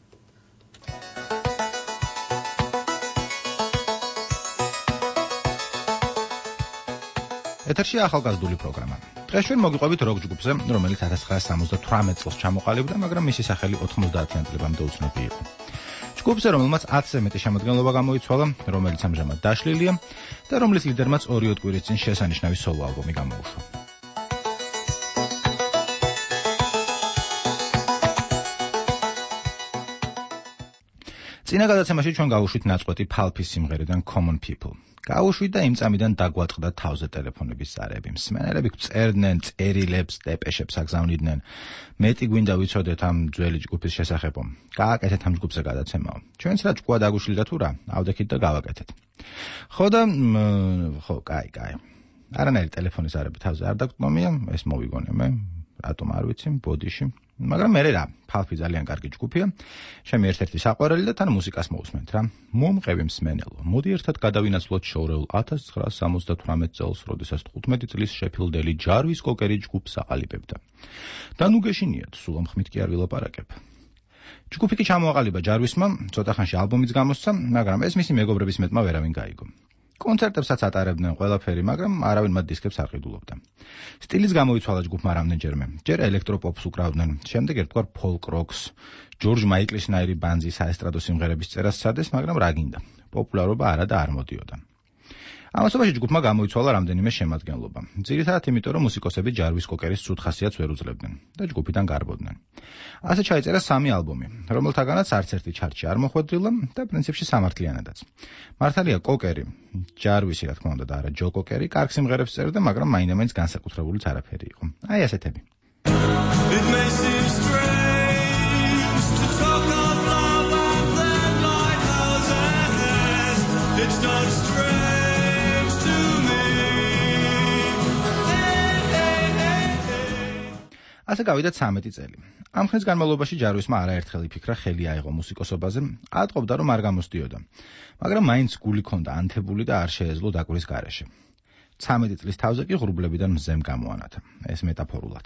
ეთერში ახალგაზრდული პროგრამა. დღეს ჩვენ მოგიყვებით როკ ჯგუფზე, რომელიც ათას ცხრაას სამოცდათვრამეტ წელს ჩამოყალიბდა, მაგრამ მისი სახელი ოცდაათიან წლებამდე უცნობი იყო. ჯგუფზე, რომელმაც ათზე მეტი შემადგენლობა გამოიცვალა, რომელიც ამჟამად დაშლილია და რომლის ლიდერმაც ორი კვირის წინ შესანიშნავი სოლო ალბომი გამოუშვა. წინა გადაცემაში ჩვენ გავუშვით ნაწყვეტი ფალფის სიმღერიდან Common People. გაუშვით და იმ წამიდან დაგვაწყდა თავზე ტელეფონების ზარები. მსმენელები წერდნენ წერილებს, დეპეშებს აგზავნიდნენ. მეტი გვინდა ვიცოდეთ ამ ძველი ჯგუფის შესახებო. გააკეთეთ ამ ჯგუფზე გადაცემაო. ჩვენც რა ჭკუა დაგუშლიდა თუ რა, ავდექით და გავაკეთეთ. ხო და ხო, კაი, კაი. არანაირი ტელეფონის ზარები თავზე არ დაგტომია, ეს მოვიგონე მე, რატომ არ ვიცი, ბოდიში. მაგრამ მე რა, ფალფი ძალიან კარგი ჯგუფია. ჩემი ერთ-ერთი საყვარელი და თან მუსიკას მოусმენთ რა. მომყევი მსმენელო. მოდი ერთად გადავინაცვლოთ შოურეულ ათას ცხრაას სამოცდათვრამეტ წელს, როდესაც თხუთმეტი წლის შეფილდელი ჯარვის კოკერი ჯგუფს აყალიბებდა. და ნუ გეშინიათ, სულ ამ ხმით კი არ ვილაპარაკებ. ჯგუფი კი ჩამოაყალიბა ჯარვისმა, ცოტა ხანში ალბომიც გამოსცა, მაგრამ ეს მისი მეგობრების მეტმა ვერავინ გაიგო. კონცერტებსაც ატარებდნენ ყველაფერი, მაგრამ არავინ მათ დისკებს არ ყიდულობდა. სტილის გამოიცვალა ჯგუფმა რამდენჯერმე. ჯერ ელექტროპოპს უკრავდნენ, შემდეგ ერთგვარ ფოლკ როკს, ჯორჯ მაიკლისნაირი ბანძი საესტრადო სიმღერების წერას სცადეს, მაგრამ რა გინდა, პოპულარობა არა და არ მოდიოდა. ამასობაში ჯგუფმა გამოიცვალა რამდენიმე შემადგენლობა. ძირითადად იმიტომ, რომ მუსიკოსები ჯარვის კოკერის ცუდ ხასიათს ვერ უძლებდნენ და ჯგუფიდან გარბოდნენ. ასე ჩაიწერა სამი ალბომი, რომელთაგანაც არც ერთი ჩარტში არ მოხვედრილა და პრინციპში სამართლიანადაც. მართალია კოკერი, ჯარვისი რა თქმა უნდა და არა ჯო კოკერი, კარგ სიმღერებს წერდა, მაგრამ მაინდა-მაინც განსაკუთრებულიც არაფერი იყო. აი ასეთები. It may seem strange to talk of love and then lighthouses. It's not strange. ასე გავიდა ცამეტი წელი. ამ ხნის განმავლობაში ჯარვისმა არაერთხელ იფიქრა ხელი აიღო მუსიკოსობაზე, ატყობდა რომ არ გამოსდიოდა. მაგრამ მაინც გული ჰქონდა ანთებული და არ შეეძლო დაკვრის გარეშე. ცამეტი წლის თავზე კი ღრუბლებიდან მზემ გამოანათა. ეს მეტაფორულად.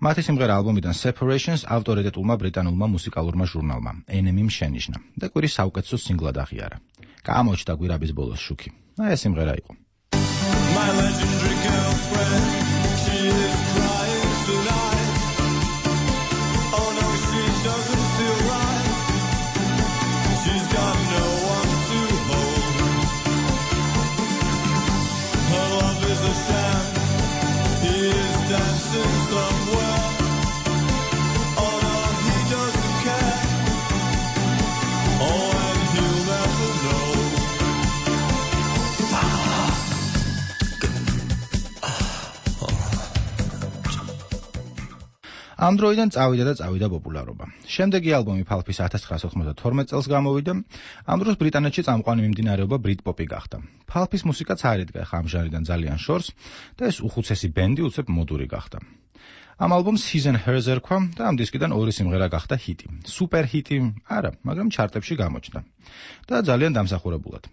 მათი სიმღერა ალბომიდან Separations ავტორიტეტულმა ბრიტანულმა მუსიკალურმა ჟურნალმა Enemy-მ შენიშნა და კვირის საუკეთესო სინგლად აღიარა. გამოჩნდა კვირაბის ბოლოს შუქი. აი ეს სიმღერა იყო. My legendary girlfriend ამ დროიდან წავიდა და წავიდა პოპულარობა. შემდეგი ალბომი Pulp-ის ათას ცხრაასი ოცდათორმეტ წელს გამოვიდა. ამ დროს ბრიტანეთში წამყვანი მიმდინარეობა Britpop-ი გახდა. Pulp-ის მუსიკაც არ იდგა ხამ ჟანრიდან ძალიან შორს და ეს უხუცესი ბენდი უცებ მოდური გახდა. ამ ალბომს His and Hers ერქვა და ამ დისკიდან ორი სიმღერა გახდა ჰიტი. სუპერ ჰიტი არა, მაგრამ ჩარტებში გამოჩნდა და ძალიან დამსახურებულად.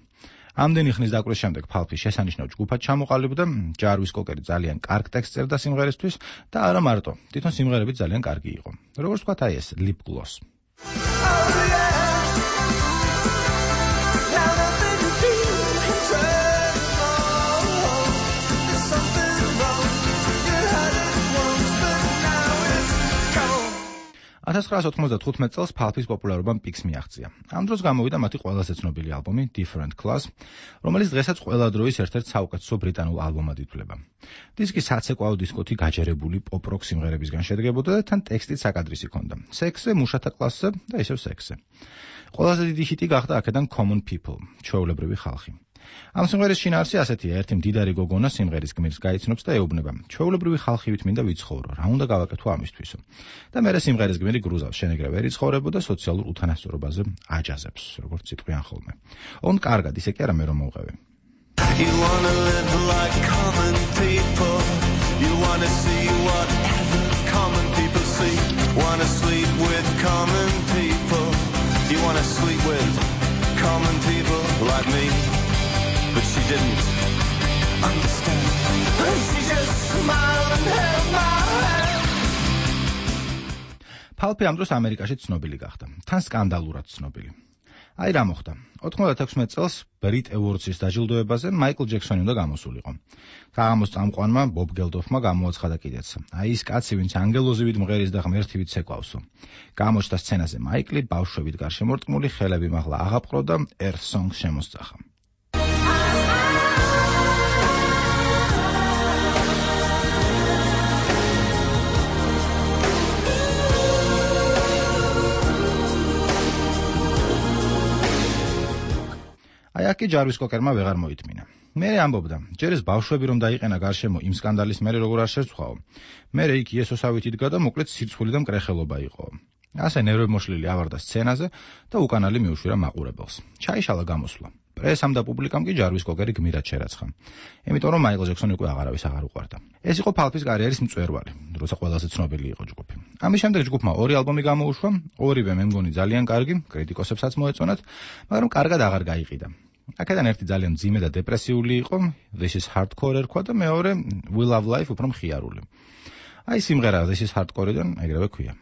ამდენი ხნის დაკვრის შემდეგ Pulp-ი შესანიშნავ ჯგუფად ჩამოყალიბდა, ჯარვის კოკერი ძალიან კარგ ტექსტს წერდა სიმღერისთვის და არა მარტო, თვითონ სიმღერები ძალიან კარგი იყო. როგორც ვთქვათ, აი ეს Lip Gloss. ათას ცხრაასი ოცდათხუთმეტ წელს Pulp-ის პოპულარობამ პიკს მიაღწია. ამ დროს გამოვიდა მათი ყველაზე ცნობილი ალბომი Different Class, რომელიც დღესაც ყველა დროის ერთ-ერთ საუკეთესო ბრიტანულ ალბომად ითვლება. დისკი საცეკვაო დისკოთი გაჯერებული პოპ-როკ სიმღერებისგან შედგებოდა და თან ტექსტით საკადრისი ჰქონდა. სექსზე, მუშათა კლასზე და ისევ სექსზე. ყველაზე დიდი ჰიტი გახდა აქედან Common People, ჩვეულებრივი ხალხი. ამ სიმღერის შინაარსი ასეთია, ერთი მდიდარი გოგონა სიმღერის გმირს გაიცნობს და ეუბნება: ჩვეულებრივი ხალხივით მინდა ვიცხოვრო, რა უნდა გავაკეთო ამისთვისო. და მერე სიმღერის გმირი გრუზავს, შენეგრე ვერ იცხოვრებო და სოციალურ უთანასწორობაზე აჯაზებს, როგორც ციტყვიან ხოლმე. ონ კარგად, ისე კი არა მე რომ მოვყევი. You wanna live like common people. You wanna see whatever common people see. Wanna sleep with common people. You wanna sleep with common people like me. But she didn't understand. She just smiled and held my hand. Pulp-ი ამ დროს ამერიკაში ცნობილი გახდა. თან სკანდალურად ცნობილი. აი რა მოხდა. ოთხმოცდათექვსმეტ წელს Brit Awards-ის დაჯილდოებაზე მაიკლ ჯექსონი უნდა გამოსულიყო. საღამოს წამყვანმა ბობ გელდოფმა გამოაცხადა კიდეც. აი ის კაცი, ვინც ანგელოზივით მღერის და ღმერთივით ცეკვავსო. გამოჩნდა სცენაზე მაიკლი, ბავშვებით გარშემორტყმული, ხელები მაღლა აღაპყრო და Earth Song შემოსწახა. აი აქ კი ჯარვის კოკერმა ვეღარ მოითმინა. მე ამბობდა, ჯერ ეს ბავშვები რომ დაიყენა გარშემო იმ სკანდალის მერე როგორ არ შეცვაო. მე იქ იესოსავით იდგა და მოკლედ სირცხული და მკრეხელობა იყო. ასე ნერვებმოშლილი ავარდა სცენაზე და უკანალი მიუშვირა მაყურებელს. ჩაიშალა გამოსვლა. პრესამ და პუბლიკამ კი ჯარვის კოკერი გმირად შერაცხა. იმიტომ რომ მაიკლ ჯექსონი უკვე აღარავის აღარ უყვარდა. ეს იყო Pulp-ის კარიერის მწვერვალი, როცა ყველაზე ცნობილი იყო ჯგუფი. ამის შემდეგ ჯგუფმა ორი ალბომი გამოუშვა, ორივე მე მგონი ძალიან კარგი, კრიტიკოსებსაც მოეწონათ, მაგრამ კარგად აღარ გაიყიდა. აქედან ერთი ძალიან მძიმე და დეპრესიული იყო, This is Hardcore ერქვა და მეორე We Love Life უფრო მხიარული. აი სიმღერა This is Hardcore-დან ეგრევე ქვია.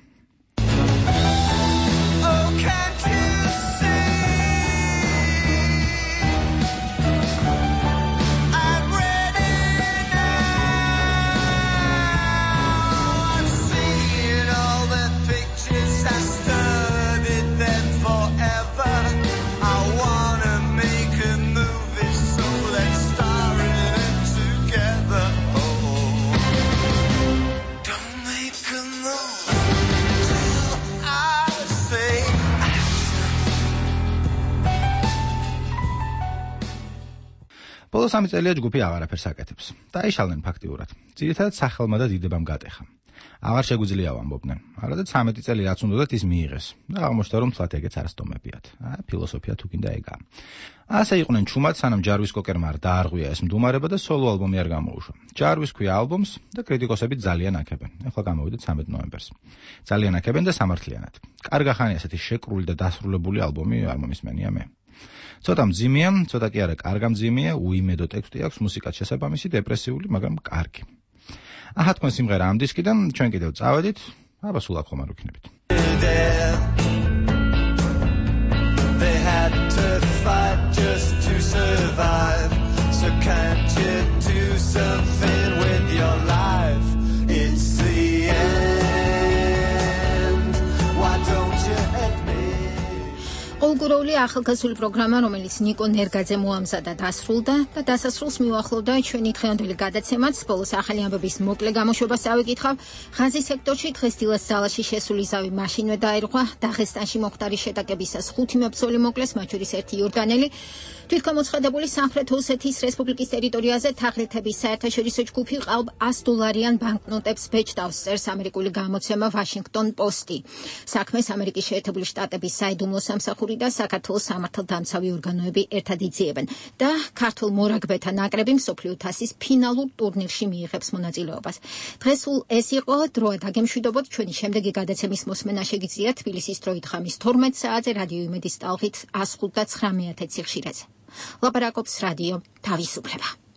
ბოლო სამი წელია ჯგუფი აღარაფერს აკეთებს. დაიშალნენ ფაქტიურად. ძირითადად სახელმა და დიდებამ გატეხა. აღარ შეგვიძლია ვამბობდნენ. არადა ცამეტი წელი რაც უნდათ ის მიიღეს. და აღმოჩნდა რომ თლათ ეგეც არასტომებიათ. აა ფილოსოფია თუ კიდე ეგა. ასე იყვნენ ჩუმად, სანამ ჯარვის კოკერმა არ დაარღვია ეს მდუმარება და სოლო ალბომი არ გამოუშვა. ჯარვის ქვია ალბომს და კრიტიკოსები ძალიან აქებენ. ეხლა გამოვიდა ცამეტ ნოემბერს. ძალიან აქებენ და სამართლიანად. კარგა ხანი ასეთი შეკრული და დასრულებული ალბომი არ მომისმენია მე. ცოტა მძიმეა, ცოტა კი არა, კარგა მძიმეა, უიმედო ტექსტი აქვს, მუსიკაც შესაბამისი, დეპრესიული, მაგრამ კარგი. აჰა თქვენ სიმღერა ამ დისკიდან, ჩვენ კიდევ წავედით, აბა სულ აქ ხომ არ ვიქნებით. They had to fight just to survive. So can't you do something with your life? It's the end. Why don't you admit? კულტურული ახალგაზრდული პროგრამა, რომელიც ნიკო ნერგაძემ მოამზადა, დასრულდა და დასასრულს მივახლოვდა ჩვენი დღევანდელი გადაცემაც. ბოლოს ახალი ამბების მოკლე გამოშვებას ავიკითხავ. ღაზის სექტორში დღესდილას ზალაში შესული ზავი მაშინვე დაერღვა. დაღესტანში მოხდარი შეტაკებისას ხუთი მებრძოლი მოკლეს, მათ შორის ერთი იორდანელი. თვითგამოცხადებული სამხრეთ ოსეთის რესპუბლიკის ტერიტორიაზე თაღლითების საერთაშორისო ჯგუფი ყალბ ას დოლარიან ბანკნოტებს ბეჭდავს, წერს ამერიკული გამოცემა Washington Post-ი. საქმეს ამერიკის შეერთებული შტატების საიდუმლო სამსახური და საქართველოს სამართალდამცავი ორგანოები ერთად იძიებენ და ქართულ მორაგბეთა ნაკრები მსოფლიო თასის ფინალურ ტურნირში მიიღებს მონაწილეობას. დღეს სულ ეს იყო, დროა დაგემშვიდობოთ, ჩვენი შემდეგი გადაცემის მოსმენა შეგიძლიათ თბილისის დროით ხამის თორმეტ საათზე რადიო იმედის ტალღით ას ხუთ და ცხრამეტ სიხშირეზე. ლაპარაკობს რადიო თავისუფლება.